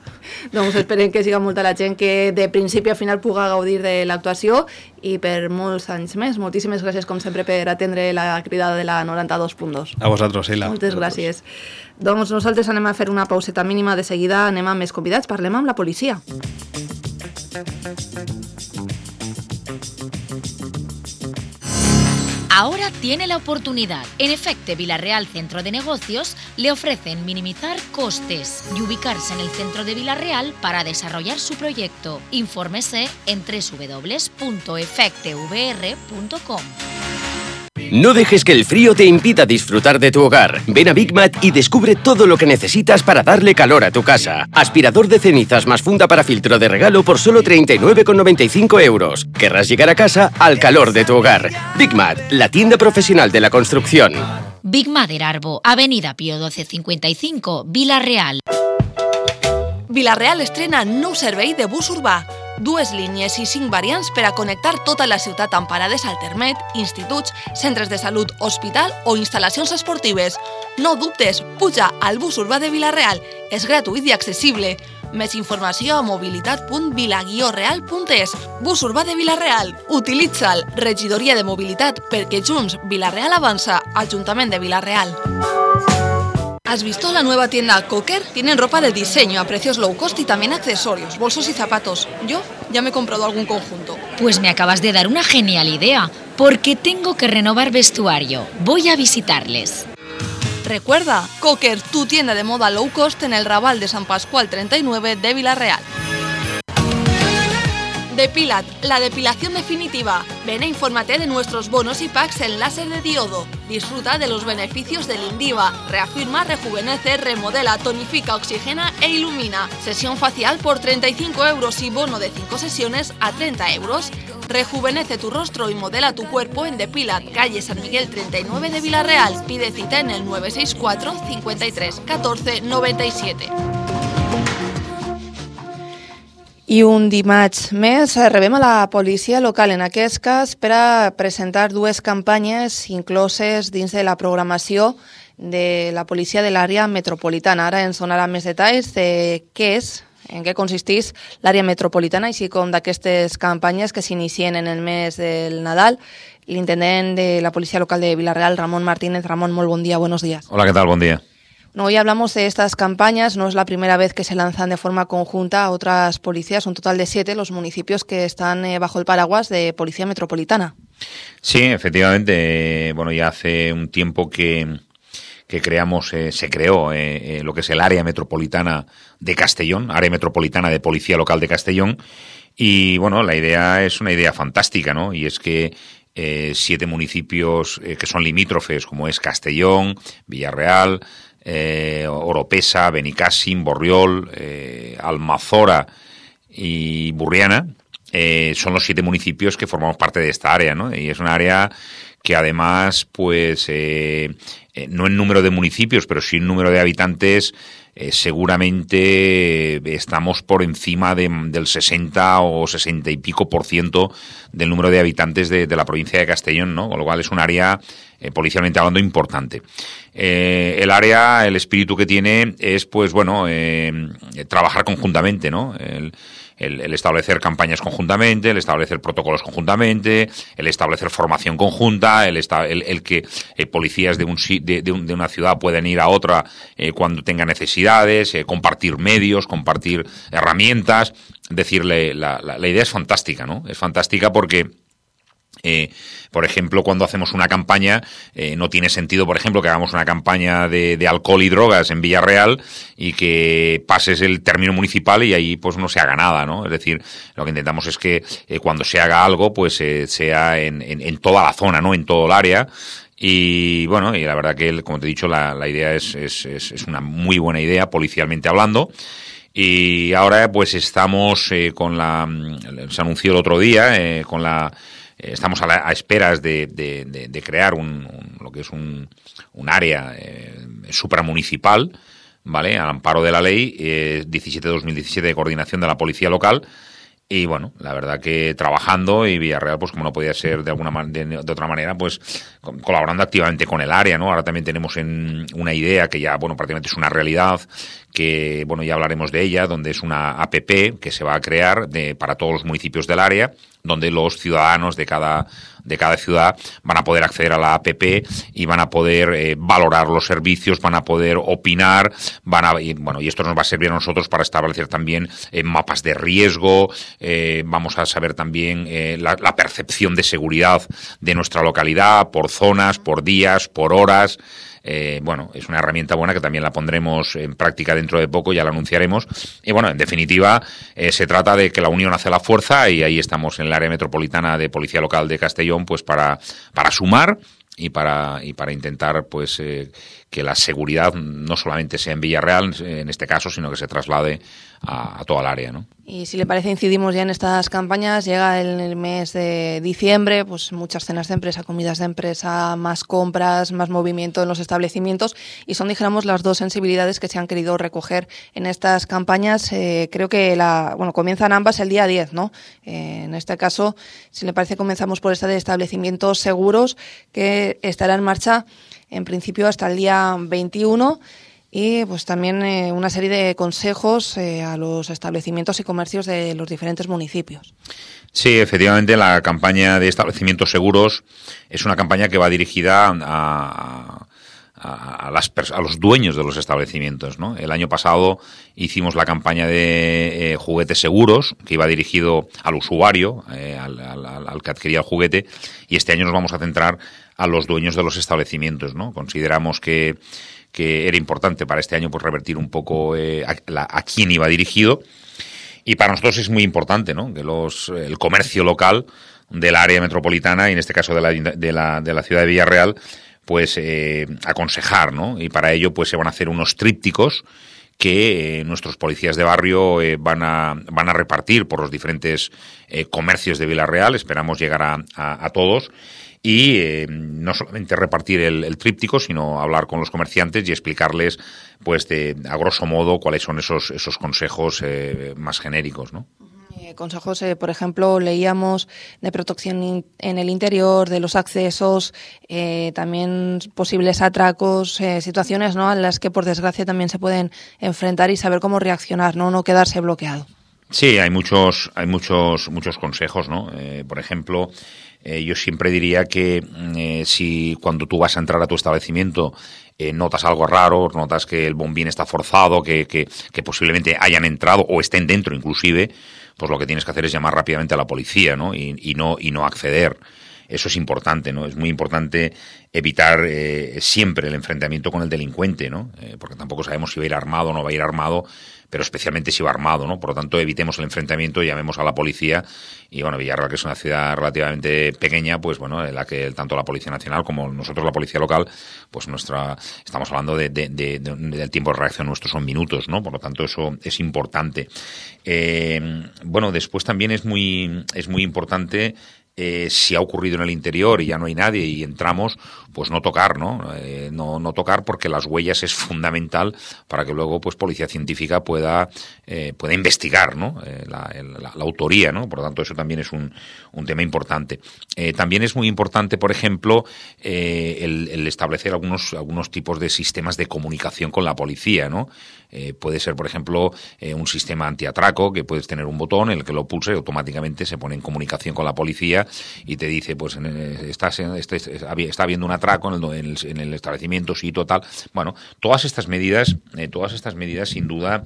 Doncs esperem que siga molta la gent que de principi a final puga gaudir de l'actuació i per molts anys més. Moltíssimes gràcies, com sempre, per atendre la cridada de la noranta-dos punt dos. A vosaltres, Sheila. Moltes gràcies. Doncs nosaltres anem a fer una pauseta mínima, de seguida anem amb més convidats, parlem amb la policia. Ahora tiene la oportunidad. En Efecte Vila-real Centro de Negocios le ofrecen minimizar costes y ubicarse en el centro de Vila-real para desarrollar su proyecto. Infórmese en doble u doble u doble u punto efecte v r punto com. No dejes que el frío te impida disfrutar de tu hogar. Ven a Big Mat y descubre todo lo que necesitas para darle calor a tu casa. Aspirador de cenizas más funda para filtro de regalo por solo treinta y nueve con noventa y cinco euros. Querrás llegar a casa al calor de tu hogar. Big Mat, la tienda profesional de la construcción. Big Mat Erarbo, Avenida Pío doce cincuenta y cinco, Vila-real. Vila-real estrena nou servei de bus urbà. Dues línies i cinc variants per a connectar tota la ciutat amb parades al Termet, instituts, centres de salut, hospital o instal·lacions esportives. No dubtes, puja al bus urbà de Vila-real. És gratuït i accessible. Més informació a mobilitat punt vila guió real punt es. Bus urbà de Vila-real. Utilitza'l. Regidoria de Mobilitat, perquè junts Vila-real avança. Ajuntament de Vila-real. ¿Has visto la nueva tienda Cocker? Tienen ropa de diseño a precios low cost y también accesorios, bolsos y zapatos. Yo ya me he comprado algún conjunto. Pues me acabas de dar una genial idea, porque tengo que renovar vestuario. Voy a visitarles. Recuerda, Cocker, tu tienda de moda low cost en el Raval de San Pascual treinta y nueve de Vila-real. Depilat, la depilación definitiva. Ven e infórmate de nuestros bonos y packs en láser de diodo. Disfruta de los beneficios del Indiva. Reafirma, rejuvenece, remodela, tonifica, oxigena e ilumina. Sesión facial por treinta y cinco euros y bono de cinco sesiones a treinta euros. Rejuvenece tu rostro y modela tu cuerpo en Depilat, calle San Miguel treinta y nueve de Vila-real. Pide cita en el nueve seis cuatro, cincuenta y tres, catorce, noventa y siete. I un dimarts més rebem a la policia local, en aquest cas, per a presentar dues campanyes incloses dins de la programació de la policia de l'àrea metropolitana. Ara ens donarà més detalls de què és, en què consisteix l'àrea metropolitana, així com d'aquestes campanyes que s'inicien en el mes del Nadal. L'intendent de la policia local de Vila-real, Ramon Martínez. Ramon, molt bon dia, buenos días. Hola, ¿qué tal? Buen día. No, hoy hablamos de estas campañas, no es la primera vez que se lanzan de forma conjunta a otras policías, un total de siete los municipios que están eh, bajo el paraguas de Policía Metropolitana. Sí, efectivamente, bueno, ya hace un tiempo que, que creamos, eh, se creó eh, eh, lo que es el área metropolitana de Castellón, área metropolitana de Policía Local de Castellón, y bueno, la idea es una idea fantástica, ¿no? Y es que eh, siete municipios eh, que son limítrofes, como es Castellón, Villarreal, eh, Oropesa, Benicàssim, Borriol, eh, Almazora y Burriana, eh, son los siete municipios que formamos parte de esta área, ¿no? Y es una área que además, pues, eh, eh, no en número de municipios, pero sí en número de habitantes, eh, seguramente estamos por encima de, del sesenta o sesenta y pico por ciento del número de habitantes de, de la provincia de Castellón, ¿no? Con lo cual es un área, eh, policialmente hablando, importante. Eh, el área, el espíritu que tiene es, pues, bueno, eh, trabajar conjuntamente, ¿no? El, El, el establecer campañas conjuntamente, el establecer protocolos conjuntamente, el establecer formación conjunta, el, esta, el, el que eh, policías de, un, de, de, un, de una ciudad pueden ir a otra eh, cuando tengan necesidades, eh, compartir medios, compartir herramientas. Decirle, la, la, la idea es fantástica, ¿no? Es fantástica porque Eh, por ejemplo, cuando hacemos una campaña, eh, no tiene sentido, por ejemplo, que hagamos una campaña de, de alcohol y drogas en Villarreal y que pases el término municipal y ahí pues no se haga nada, ¿no? Es decir, lo que intentamos es que eh, cuando se haga algo, pues eh, sea en, en, en toda la zona, ¿no? En todo el área. Y bueno, y la verdad que, como te he dicho, la, la idea es, es, es, es una muy buena idea, policialmente hablando. Y ahora pues estamos eh, con la... Se anunció el otro día, eh, con la... Estamos a, la, a esperas de, de, de, de crear un, un, lo que es un, un área eh, supramunicipal, ¿vale? Al amparo de la ley eh, diecisiete barra dos mil diecisiete de coordinación de la policía local. Y bueno, la verdad que trabajando, y Villarreal, pues como no podía ser de alguna de, de otra manera, pues colaborando activamente con el área, ¿no? Ahora también tenemos en una idea que ya, bueno, prácticamente es una realidad, que, bueno, ya hablaremos de ella, donde es una A P P que se va a crear de, para todos los municipios del área, donde los ciudadanos de cada de cada ciudad van a poder acceder a la A P P y van a poder eh, valorar los servicios, van a poder opinar, van a y, bueno, y esto nos va a servir a nosotros para establecer también eh, mapas de riesgo, eh, vamos a saber también eh, la, la percepción de seguridad de nuestra localidad por zonas, por días, por horas. Eh, bueno, es una herramienta buena que también la pondremos en práctica dentro de poco, ya la anunciaremos. Y bueno, en definitiva, eh, se trata de que la unión hace la fuerza, y ahí estamos en el área metropolitana de Policía Local de Castellón, pues para, para sumar y para, y para intentar pues eh, que la seguridad no solamente sea en Villarreal, en este caso, sino que se traslade a, a toda el área, ¿no? Y si le parece, incidimos ya en estas campañas. Llega el, el mes de diciembre, pues muchas cenas de empresa, comidas de empresa, más compras, más movimiento en los establecimientos, y son, dijéramos, las dos sensibilidades que se han querido recoger en estas campañas. Eh, creo que la, bueno, comienzan ambas el día diez, ¿no? Eh, en este caso, si le parece, comenzamos por esta de establecimientos seguros, que estará en marcha en principio hasta el día veintiuno. Y pues también eh, una serie de consejos eh, a los establecimientos y comercios de los diferentes municipios. Sí, efectivamente, la campaña de establecimientos seguros es una campaña que va dirigida a, a, a, las, a los dueños de los establecimientos, ¿no? El año pasado hicimos la campaña de eh, juguetes seguros, que iba dirigido al usuario, eh, al, al, al que adquiría el juguete, y este año nos vamos a centrar a los dueños de los establecimientos, ¿no? Consideramos que que era importante para este año pues revertir un poco eh, a, la, a quién iba dirigido, y para nosotros es muy importante, ¿no? Que los el comercio local del área metropolitana, y en este caso de la, de la, de la ciudad de Villarreal, pues eh, aconsejar, ¿no? Y para ello pues se van a hacer unos trípticos que eh, nuestros policías de barrio eh, van a van a repartir por los diferentes eh, comercios de Villarreal. Esperamos llegar a, a, a todos. Y eh, no solamente repartir el, el tríptico, sino hablar con los comerciantes y explicarles, pues, de, a grosso modo, cuáles son esos esos consejos eh, más genéricos, ¿no? Eh, consejos, eh, por ejemplo, leíamos de protección in, en el interior, de los accesos, eh, también posibles atracos, eh, situaciones, ¿no?, a las que, por desgracia, también se pueden enfrentar, y saber cómo reaccionar, no, no quedarse bloqueado. Sí, hay muchos, hay muchos, muchos consejos, ¿no? Eh, por ejemplo, eh, yo siempre diría que eh, si cuando tú vas a entrar a tu establecimiento eh, notas algo raro, notas que el bombín está forzado, que, que, que posiblemente hayan entrado o estén dentro inclusive, pues lo que tienes que hacer es llamar rápidamente a la policía, ¿no? Y, y no y no acceder. Eso es importante, ¿no? Es muy importante evitar eh, siempre el enfrentamiento con el delincuente, ¿no? Eh, porque tampoco sabemos si va a ir armado o no va a ir armado, pero especialmente si va armado, ¿no? Por lo tanto, evitemos el enfrentamiento, llamemos a la policía. Y bueno, Villarreal, que es una ciudad relativamente pequeña, pues bueno, en la que tanto la Policía Nacional como nosotros la Policía Local, pues nuestra estamos hablando de, de, de, de del tiempo de reacción nuestro son minutos, ¿no? Por lo tanto, eso es importante. Eh, bueno, después también es muy es muy importante. Eh, si ha ocurrido en el interior y ya no hay nadie y entramos, pues no tocar, ¿no? Eh, no, no tocar porque las huellas es fundamental para que luego pues policía científica pueda eh, pueda investigar, ¿no? Eh, la, la, la autoría, ¿no? Por lo tanto, eso también es un, un tema importante. Eh, también es muy importante, por ejemplo, eh, el, el establecer algunos algunos tipos de sistemas de comunicación con la policía, ¿no? Eh, puede ser, por ejemplo, eh, un sistema antiatraco que puedes tener un botón en el que lo pulse y automáticamente se pone en comunicación con la policía y te dice, pues estás en, este, está habiendo un atraco en el, en el, en el establecimiento, sí, total. Bueno, todas estas medidas, eh, todas estas medidas, sin duda,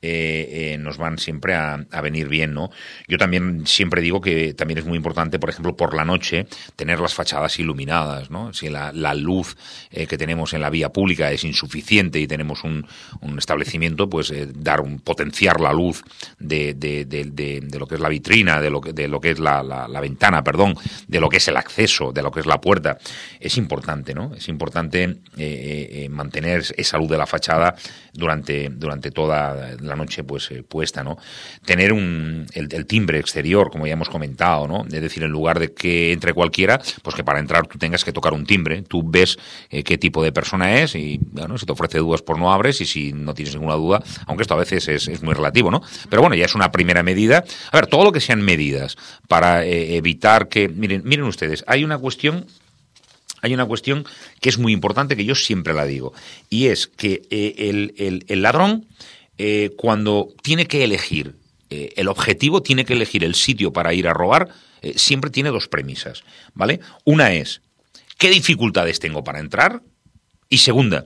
Eh, eh, nos van siempre a, a venir bien, ¿no? Yo también siempre digo que también es muy importante, por ejemplo, por la noche, tener las fachadas iluminadas, ¿no? Si la, la luz eh, que tenemos en la vía pública es insuficiente y tenemos un, un establecimiento, pues eh, dar un potenciar la luz de, de, de, de, de lo que es la vitrina, de lo que, de lo que es la, la, la ventana, perdón, de lo que es el acceso, de lo que es la puerta, es importante, ¿no? Es importante eh, eh, mantener esa luz de la fachada durante, durante toda la noche pues eh, puesta, ¿no? Tener un el, el timbre exterior, como ya hemos comentado, ¿no? Es decir, en lugar de que entre cualquiera, pues que para entrar tú tengas que tocar un timbre, tú ves eh, qué tipo de persona es y, bueno, si te ofrece dudas, pues no abres, y si no tienes ninguna duda, aunque esto a veces es, es muy relativo, ¿no? Pero bueno, ya es una primera medida. A ver, todo lo que sean medidas para eh, evitar que... Miren, miren ustedes, hay una cuestión... Hay una cuestión que es muy importante, que yo siempre la digo, y es que eh, el, el, el ladrón, eh, cuando tiene que elegir eh, el objetivo, tiene que elegir el sitio para ir a robar, eh, siempre tiene dos premisas, ¿vale? Una es, ¿qué dificultades tengo para entrar? Y segunda,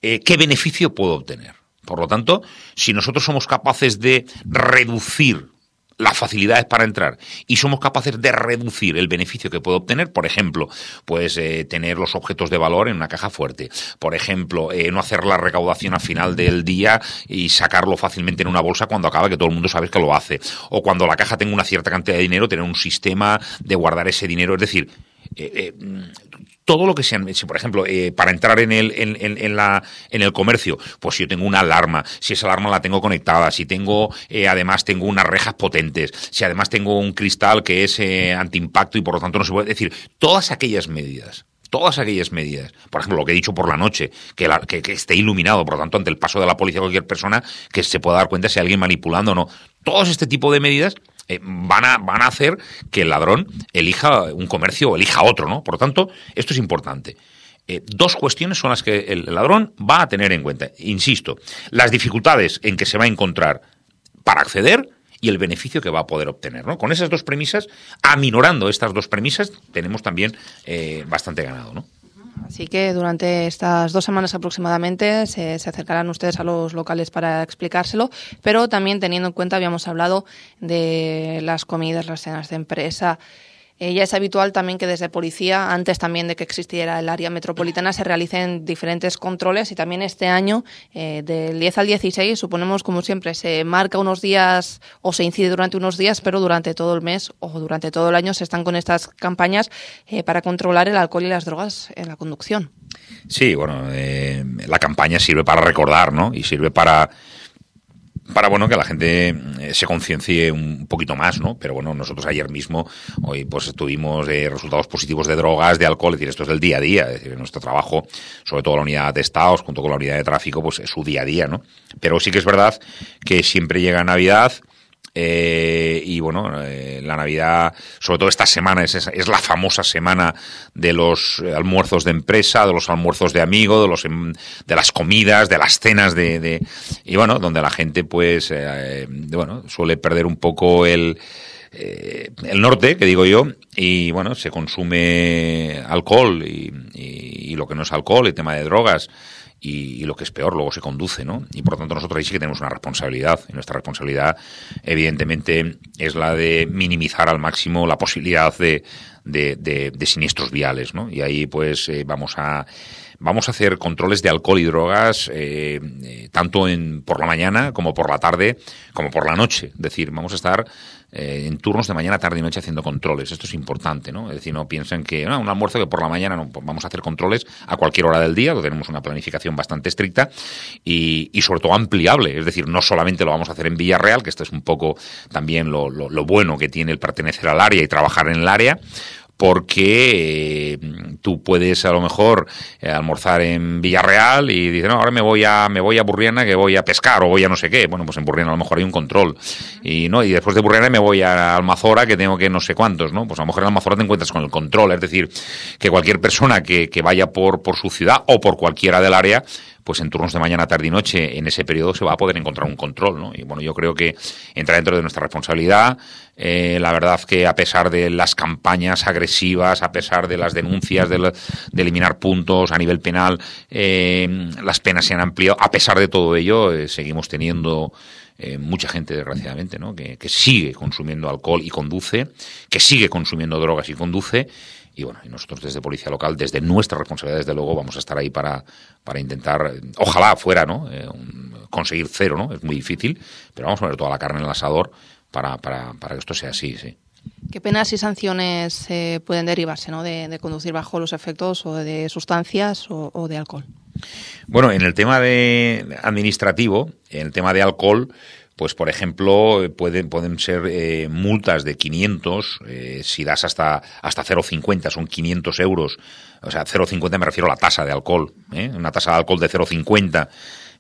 eh, ¿qué beneficio puedo obtener? Por lo tanto, si nosotros somos capaces de reducir las facilidades para entrar y somos capaces de reducir el beneficio que puedo obtener, por ejemplo, pues eh, tener los objetos de valor en una caja fuerte, por ejemplo, eh, no hacer la recaudación al final del día y sacarlo fácilmente en una bolsa cuando acaba, que todo el mundo sabe que lo hace, o cuando la caja tenga una cierta cantidad de dinero, tener un sistema de guardar ese dinero, es decir, eh, eh, todo lo que sean, si por ejemplo, eh, para entrar en el, en, en, en, la, en el comercio, pues si yo tengo una alarma, si esa alarma la tengo conectada, si tengo, eh, además tengo unas rejas potentes, si además tengo un cristal que es eh, antiimpacto y por lo tanto no se puede decir, todas aquellas medidas, todas aquellas medidas, por ejemplo, lo que he dicho por la noche, que, la, que, que esté iluminado, por lo tanto, ante el paso de la policía, cualquier persona que se pueda dar cuenta si hay alguien manipulando o no, todos este tipo de medidas Eh, van a van a hacer que el ladrón elija un comercio o elija otro, ¿no? Por lo tanto, esto es importante. Eh, dos cuestiones son las que el ladrón va a tener en cuenta. Insisto, las dificultades en que se va a encontrar para acceder y el beneficio que va a poder obtener, ¿no? Con esas dos premisas, aminorando estas dos premisas, tenemos también eh, bastante ganado, ¿no? Así que durante estas dos semanas aproximadamente se, se acercarán ustedes a los locales para explicárselo, pero también teniendo en cuenta, habíamos hablado de las comidas, las cenas de empresa. Eh, ya es habitual también que desde policía, antes también de que existiera el área metropolitana, se realicen diferentes controles y también este año, eh, del diez al dieciséis, suponemos, como siempre, se marca unos días o se incide durante unos días, pero durante todo el mes o durante todo el año se están con estas campañas eh, para controlar el alcohol y las drogas en la conducción. Sí, bueno, eh, la campaña sirve para recordar, ¿no? Y sirve para... para bueno que la gente se conciencie un poquito más, ¿no? Pero bueno, nosotros ayer mismo, hoy pues tuvimos eh, resultados positivos de drogas, de alcohol, es decir, esto es del día a día, es decir, nuestro trabajo, sobre todo la unidad de atestados, junto con la unidad de tráfico, pues es su día a día, ¿no? Pero sí que es verdad que siempre llega Navidad, Eh, y bueno, eh, la Navidad, sobre todo esta semana, es, es la famosa semana de los almuerzos de empresa, de los almuerzos de amigos, de los de las comidas, de las cenas de, de y bueno, donde la gente pues eh, bueno, suele perder un poco el eh, el norte, que digo yo, y bueno, se consume alcohol y, y, y lo que no es alcohol, el tema de drogas, y, y lo que es peor, luego se conduce, ¿no? Y por lo tanto nosotros ahí sí que tenemos una responsabilidad, y nuestra responsabilidad evidentemente es la de minimizar al máximo la posibilidad de, de, de, de siniestros viales, ¿no? Y ahí pues eh, vamos a vamos a hacer controles de alcohol y drogas eh, eh, tanto en, por la mañana como por la tarde como por la noche, es decir, vamos a estar Eh, en turnos de mañana, tarde y noche haciendo controles. Esto es importante, ¿no? Es decir, no piensen que no, un almuerzo que por la mañana no, pues vamos a hacer controles a cualquier hora del día, tenemos una planificación bastante estricta y, y sobre todo ampliable, es decir, no solamente lo vamos a hacer en Villarreal, que esto es un poco también lo, lo, lo bueno que tiene el pertenecer al área y trabajar en el área, porque eh, tú puedes a lo mejor eh, almorzar en Villarreal y dices, no, ahora me voy a me voy a Burriana que voy a pescar o voy a no sé qué. Bueno, pues en Burriana a lo mejor hay un control. Y no y después de Burriana me voy a Almazora que tengo que no sé cuántos, ¿no? Pues a lo mejor en Almazora te encuentras con el control. Es decir, que cualquier persona que, que vaya por, por su ciudad o por cualquiera del área, pues en turnos de mañana, tarde y noche, en ese periodo se va a poder encontrar un control, ¿no? Y bueno, yo creo que entra dentro de nuestra responsabilidad. Eh, la verdad que a pesar de las campañas agresivas, a pesar de las denuncias de, la, de eliminar puntos a nivel penal, eh, las penas se han ampliado. A pesar de todo ello, eh, seguimos teniendo eh, mucha gente, desgraciadamente, ¿no? Que, que sigue consumiendo alcohol y conduce, que sigue consumiendo drogas y conduce. Y bueno, y nosotros desde Policía Local, desde nuestra responsabilidad, desde luego, vamos a estar ahí para, para intentar, ojalá fuera, ¿no? Eh, un, conseguir cero, ¿no? Es muy difícil, pero vamos a poner toda la carne en el asador para, para, para que esto sea así, sí. ¿Qué penas y sanciones eh, pueden derivarse, ¿no? de, de conducir bajo los efectos o de sustancias o, o de alcohol? Bueno, en el tema de administrativo, en el tema de alcohol, pues por ejemplo pueden pueden ser eh, multas de quinientos, eh, si das hasta hasta cero coma cincuenta son quinientos euros, o sea, cero coma cincuenta me refiero a la tasa de alcohol, ¿eh? Una tasa de alcohol de cero coma cincuenta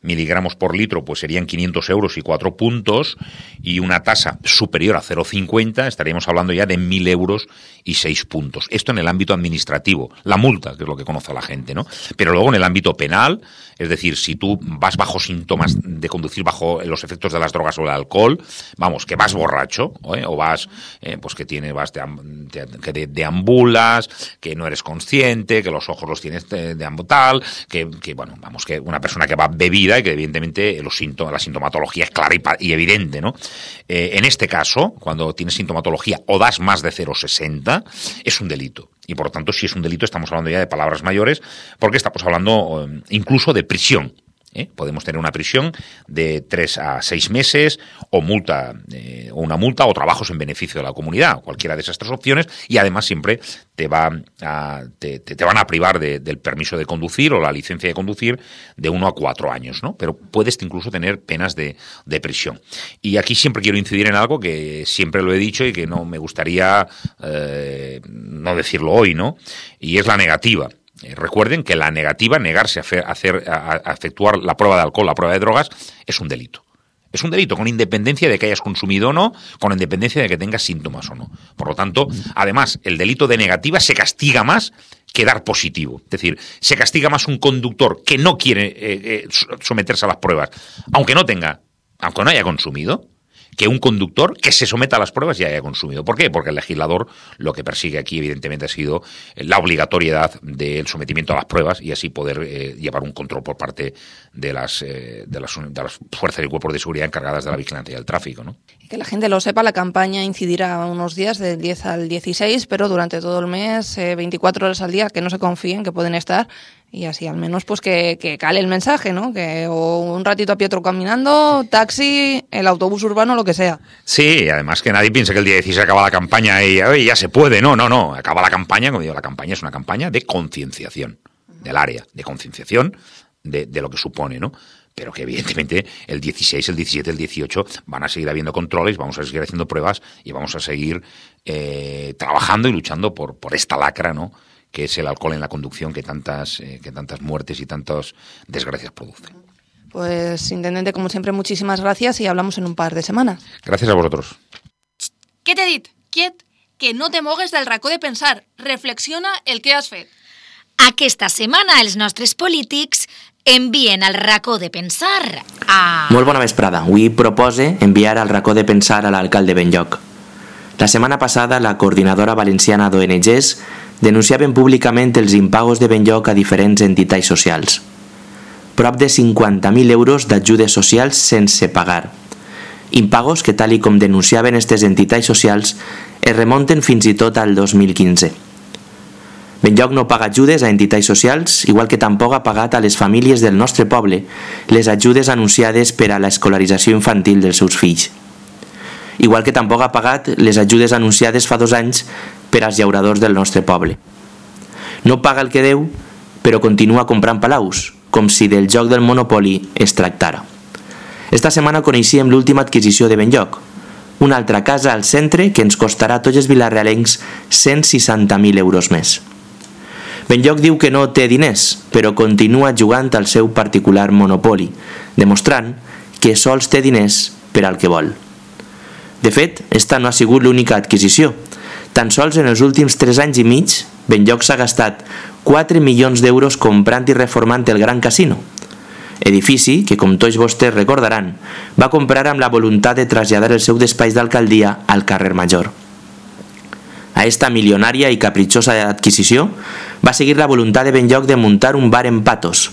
miligramos por litro, pues serían quinientos euros y cuatro puntos, y una tasa superior a cero coma cincuenta estaríamos hablando ya de mil euros y seis puntos. Esto en el ámbito administrativo, la multa, que es lo que conoce la gente, ¿no? Pero luego en el ámbito penal, es decir, si tú vas bajo síntomas de conducir bajo los efectos de las drogas o el alcohol, vamos, que vas borracho, ¿eh? O vas, eh, pues que tienes, vas de, de, de, deambulas, que no eres consciente, que los ojos los tienes de, de tal, que, que, bueno, vamos, que una persona que va bebida y que evidentemente los síntomas, la sintomatología es clara y, y evidente, ¿no? Eh, en este caso, cuando tienes sintomatología o das más de cero coma sesenta, es un delito. Y por lo tanto, si es un delito, estamos hablando ya de palabras mayores, porque estamos hablando eh, incluso de prisión. ¿Eh? Podemos tener una prisión de tres a seis meses o multa eh, o una multa o trabajos en beneficio de la comunidad, cualquiera de esas tres opciones, y además siempre te va a, te, te, te van a privar de, del permiso de conducir o la licencia de conducir de uno a cuatro años, ¿no? Pero puedes incluso tener penas de, de prisión. Y aquí siempre quiero incidir en algo que siempre lo he dicho y que no me gustaría eh, no decirlo hoy, ¿no? Y es la negativa. Recuerden que la negativa, negarse a, hacer, hacer, a, a efectuar la prueba de alcohol, la prueba de drogas, es un delito. Es un delito, con independencia de que hayas consumido o no, con independencia de que tengas síntomas o no. Por lo tanto, además, el delito de negativa se castiga más que dar positivo. Es decir, se castiga más un conductor que no quiere eh, eh, someterse a las pruebas, aunque no tenga, aunque no haya consumido, que un conductor que se someta a las pruebas y haya consumido. ¿Por qué? Porque el legislador lo que persigue aquí, evidentemente, ha sido la obligatoriedad del sometimiento a las pruebas y así poder eh, llevar un control por parte de las, eh, de, las, de las fuerzas y cuerpos de seguridad encargadas de la vigilancia del tráfico, ¿no? Y que la gente lo sepa, la campaña incidirá unos días del diez al dieciséis, pero durante todo el mes, eh, veinticuatro horas al día, que no se confíen, que pueden estar. Y así al menos pues que, que cale el mensaje, ¿no? Que o un ratito a pie otro caminando, taxi, el autobús urbano, lo que sea. Sí, además que nadie piense que el día dieciséis acaba la campaña y oye, ya se puede. No, no, no. Acaba la campaña, como digo, la campaña es una campaña de concienciación del área, de concienciación de, de lo que supone, ¿no? Pero que evidentemente el dieciséis, el diecisiete, el dieciocho van a seguir habiendo controles, vamos a seguir haciendo pruebas y vamos a seguir eh, trabajando y luchando por, por esta lacra, ¿no? Que es el alcohol en la conducción que tantas eh, que tantas muertes y tantas desgracias produce. Pues, intendente, como siempre, muchísimas gracias y hablamos en un par de semanas. Gràcies a vosotros. Què t'he dit? Quiet, que no te mogues del racó de pensar. Reflexiona el que has fet. Aquesta setmana els nostres polítics envien al racó de pensar a... Molt bona vesprada. Avui propose enviar al racó de pensar a l'alcalde Benlloc. La setmana passada, la coordinadora valenciana d'O N Ges denunciaven públicament els impagos de Benlloc a diferents entitats socials. Prop de cinquanta mil euros d'ajudes socials sense pagar. Impagos que, tal i com denunciaven aquestes entitats socials, es remunten fins i tot al dos mil quinze. Benlloc no paga ajudes a entitats socials, igual que tampoc ha pagat a les famílies del nostre poble les ajudes anunciades per a l'escolarització infantil dels seus fills. Igual que tampoc ha pagat les ajudes anunciades fa dos anys per als llauradors del nostre poble. No paga el que deu, però continua comprant palaus, com si del joc del monopoli es tractara. Esta setmana coneixíem l'última adquisició de Benlloc, una altra casa al centre que ens costarà a tots els vilarealencs cent seixanta mil euros més. Benlloc diu que no té diners, però continua jugant al seu particular monopoli, demostrant que sols té diners per al que vol. De fet, esta no ha sigut l'única adquisició. Tan sols en els últims tres anys i mig, Benlloc s'ha gastat quatre milions d'euros comprant i reformant el Gran Casino, edifici que, com tots vostès recordaran, va comprar amb la voluntat de traslladar el seu despatx d'alcaldia al carrer Major. A esta milionària i capritxosa adquisició va seguir la voluntat de Benlloc de muntar un bar en Patos,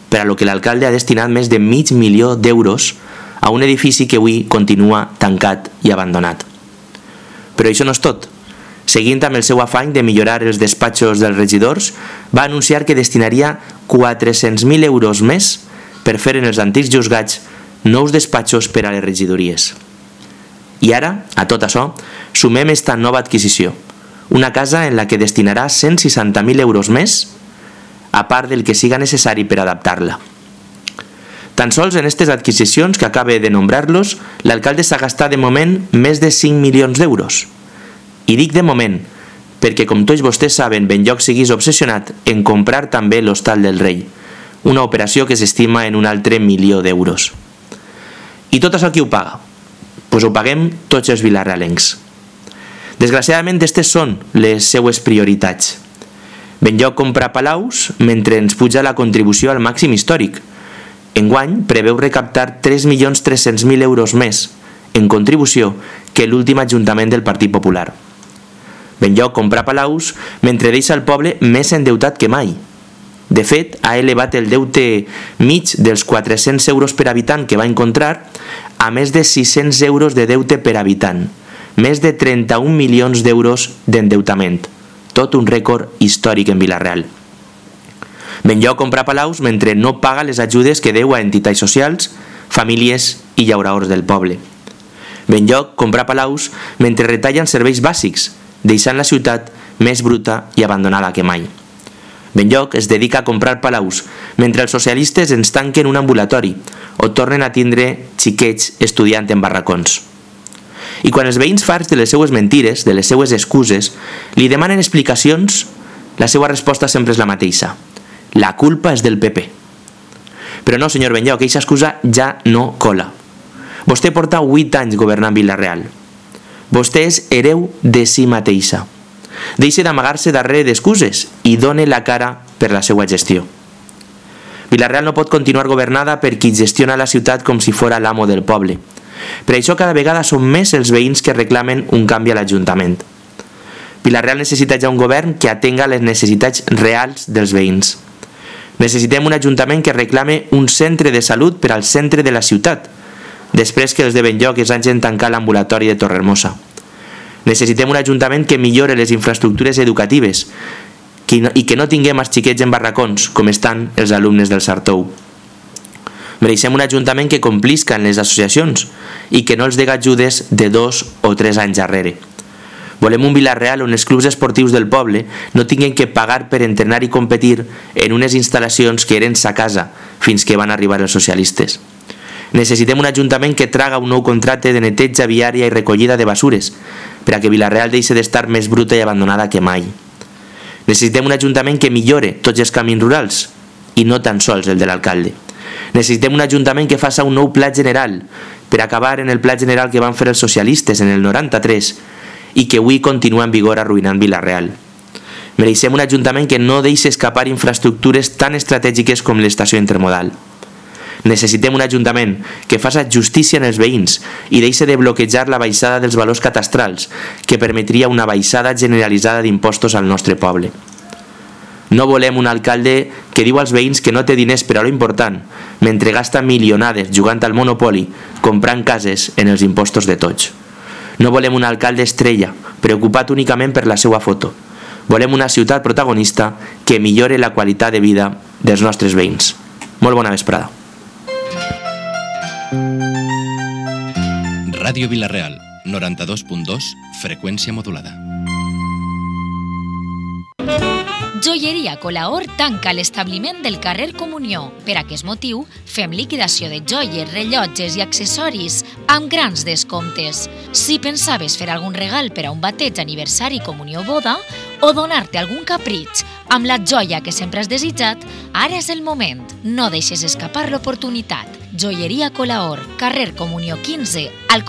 per a lo que l'alcalde ha destinat més de mig milió d'euros a un edifici que avui continua tancat i abandonat. Però això no és tot. Seguint amb el seu afany de millorar els despatxos dels regidors, va anunciar que destinaria quatre-cents mil euros més per fer en els antics juzgats nous despatxos per a les regidories. I ara, a tot això, sumem esta nova adquisició, una casa en la que destinarà cent seixanta mil euros més, a part del que siga necessari per adaptar-la. Tan sols en aquestes adquisicions que acabe de nombrar-los, l'alcalde s'ha gastat de moment més de cinc milions d'euros. I dic de moment, perquè com tots vostès saben, Benlloc seguís obsessionat en comprar també l'Hostal del Rei, una operació que s'estima en un altre milió d'euros. I tot això qui ho paga? Pues ho paguem tots els vilarealencs. Desgraciadament, aquestes són les seues prioritats. Benlloc compra palaus mentre ens puja la contribució al màxim històric. Enguany preveu recaptar tres milions tres-cents mil euros més en contribució que l'últim Ajuntament del Partit Popular. Benlloc compra palaus mentre deixa el poble més endeutat que mai. De fet, ha elevat el deute mig dels quatre-cents euros per habitant que va encontrar a més de sis-cents euros de deute per habitant, més de trenta-un milions d'euros d'endeutament, tot un rècord històric en Vila-real. Benlloc compra palaus mentre no paga les ajudes que deu a entitats socials, famílies i llauradors del poble. Benlloc compra palaus mentre retallen serveis bàsics, deixant la ciutat més bruta i abandonada que mai. Benlloc es dedica a comprar palaus mentre els socialistes ens tanquen un ambulatori o tornen a tindre xiquets estudiant en barracons. I quan els veïns farts de les seues mentires, de les seues excuses, li demanen explicacions, la seva resposta sempre és la mateixa. La culpa és del P P. Però no, senyor Benlloc, aquesta excusa ja no cola. Vostè porta vuit anys governant Vila-real. Vostè és hereu de si mateixa. Deixe d'amagar-se darrere d'excuses i done la cara per la seva gestió. Vila-real no pot continuar governada per qui gestiona la ciutat com si fora l'amo del poble. Per això cada vegada són més els veïns que reclamen un canvi a l'Ajuntament. Vila-real necessita ja un govern que atenga les necessitats reals dels veïns. Necessitem un Ajuntament que reclame un centre de salut per al centre de la ciutat, després que els de Benlloc es hagin tancat l'ambulatori de Torrehermosa. Necessitem un Ajuntament que millore les infraestructures educatives i que no tinguem els xiquets en barracons, com estan els alumnes del Sartou. Mereixem un Ajuntament que complisca en les associacions i que no els dega ajudes de dos o tres anys darrere. Volem un Vila-real on els clubs esportius del poble no tinguin que pagar per entrenar i competir en unes instal·lacions que eren sa casa fins que van arribar els socialistes. Necessitem un Ajuntament que traga un nou contracte de neteja viària i recollida de basures per a que Vila-real deixi d'estar més bruta i abandonada que mai. Necessitem un Ajuntament que millore tots els camins rurals i no tan sols el de l'alcalde. Necessitem un Ajuntament que faça un nou pla general per acabar en el pla general que van fer els socialistes en el noranta-tres i que avui continua en vigor arruïnant Vila-real. Mereixem un Ajuntament que no deixi escapar infraestructures tan estratègiques com l'estació intermodal. Necessitem un ajuntament que faci justícia en els veïns i deixi de bloquejar la baixada dels valors catastrals, que permetria una baixada generalitzada d'impostos al nostre poble. No volem un alcalde que diu als veïns que no té diners per a lo important, mentre gasta milionades jugant al Monopoli, comprant cases en els impostos de tots. No volem un alcalde estrella, preocupat únicament per la seva foto. Volem una ciutat protagonista que millore la qualitat de vida dels nostres veïns. Molt bona vesprada. Ràdio Vila-real, noranta-dos punt dos, freqüència modulada. Joieria Colaor tanca l'establiment del carrer Comunió. Per aquest motiu, fem liquidació de joies, rellotges i accessoris amb grans descomptes. Si pensaves fer algun regal per a un bateig, aniversari, comunió o boda, o donar-te algun capritx amb la joia que sempre has desitjat, ara és el moment. No deixes escapar l'oportunitat. Joieria Colaor, carrer Comunió quinze, al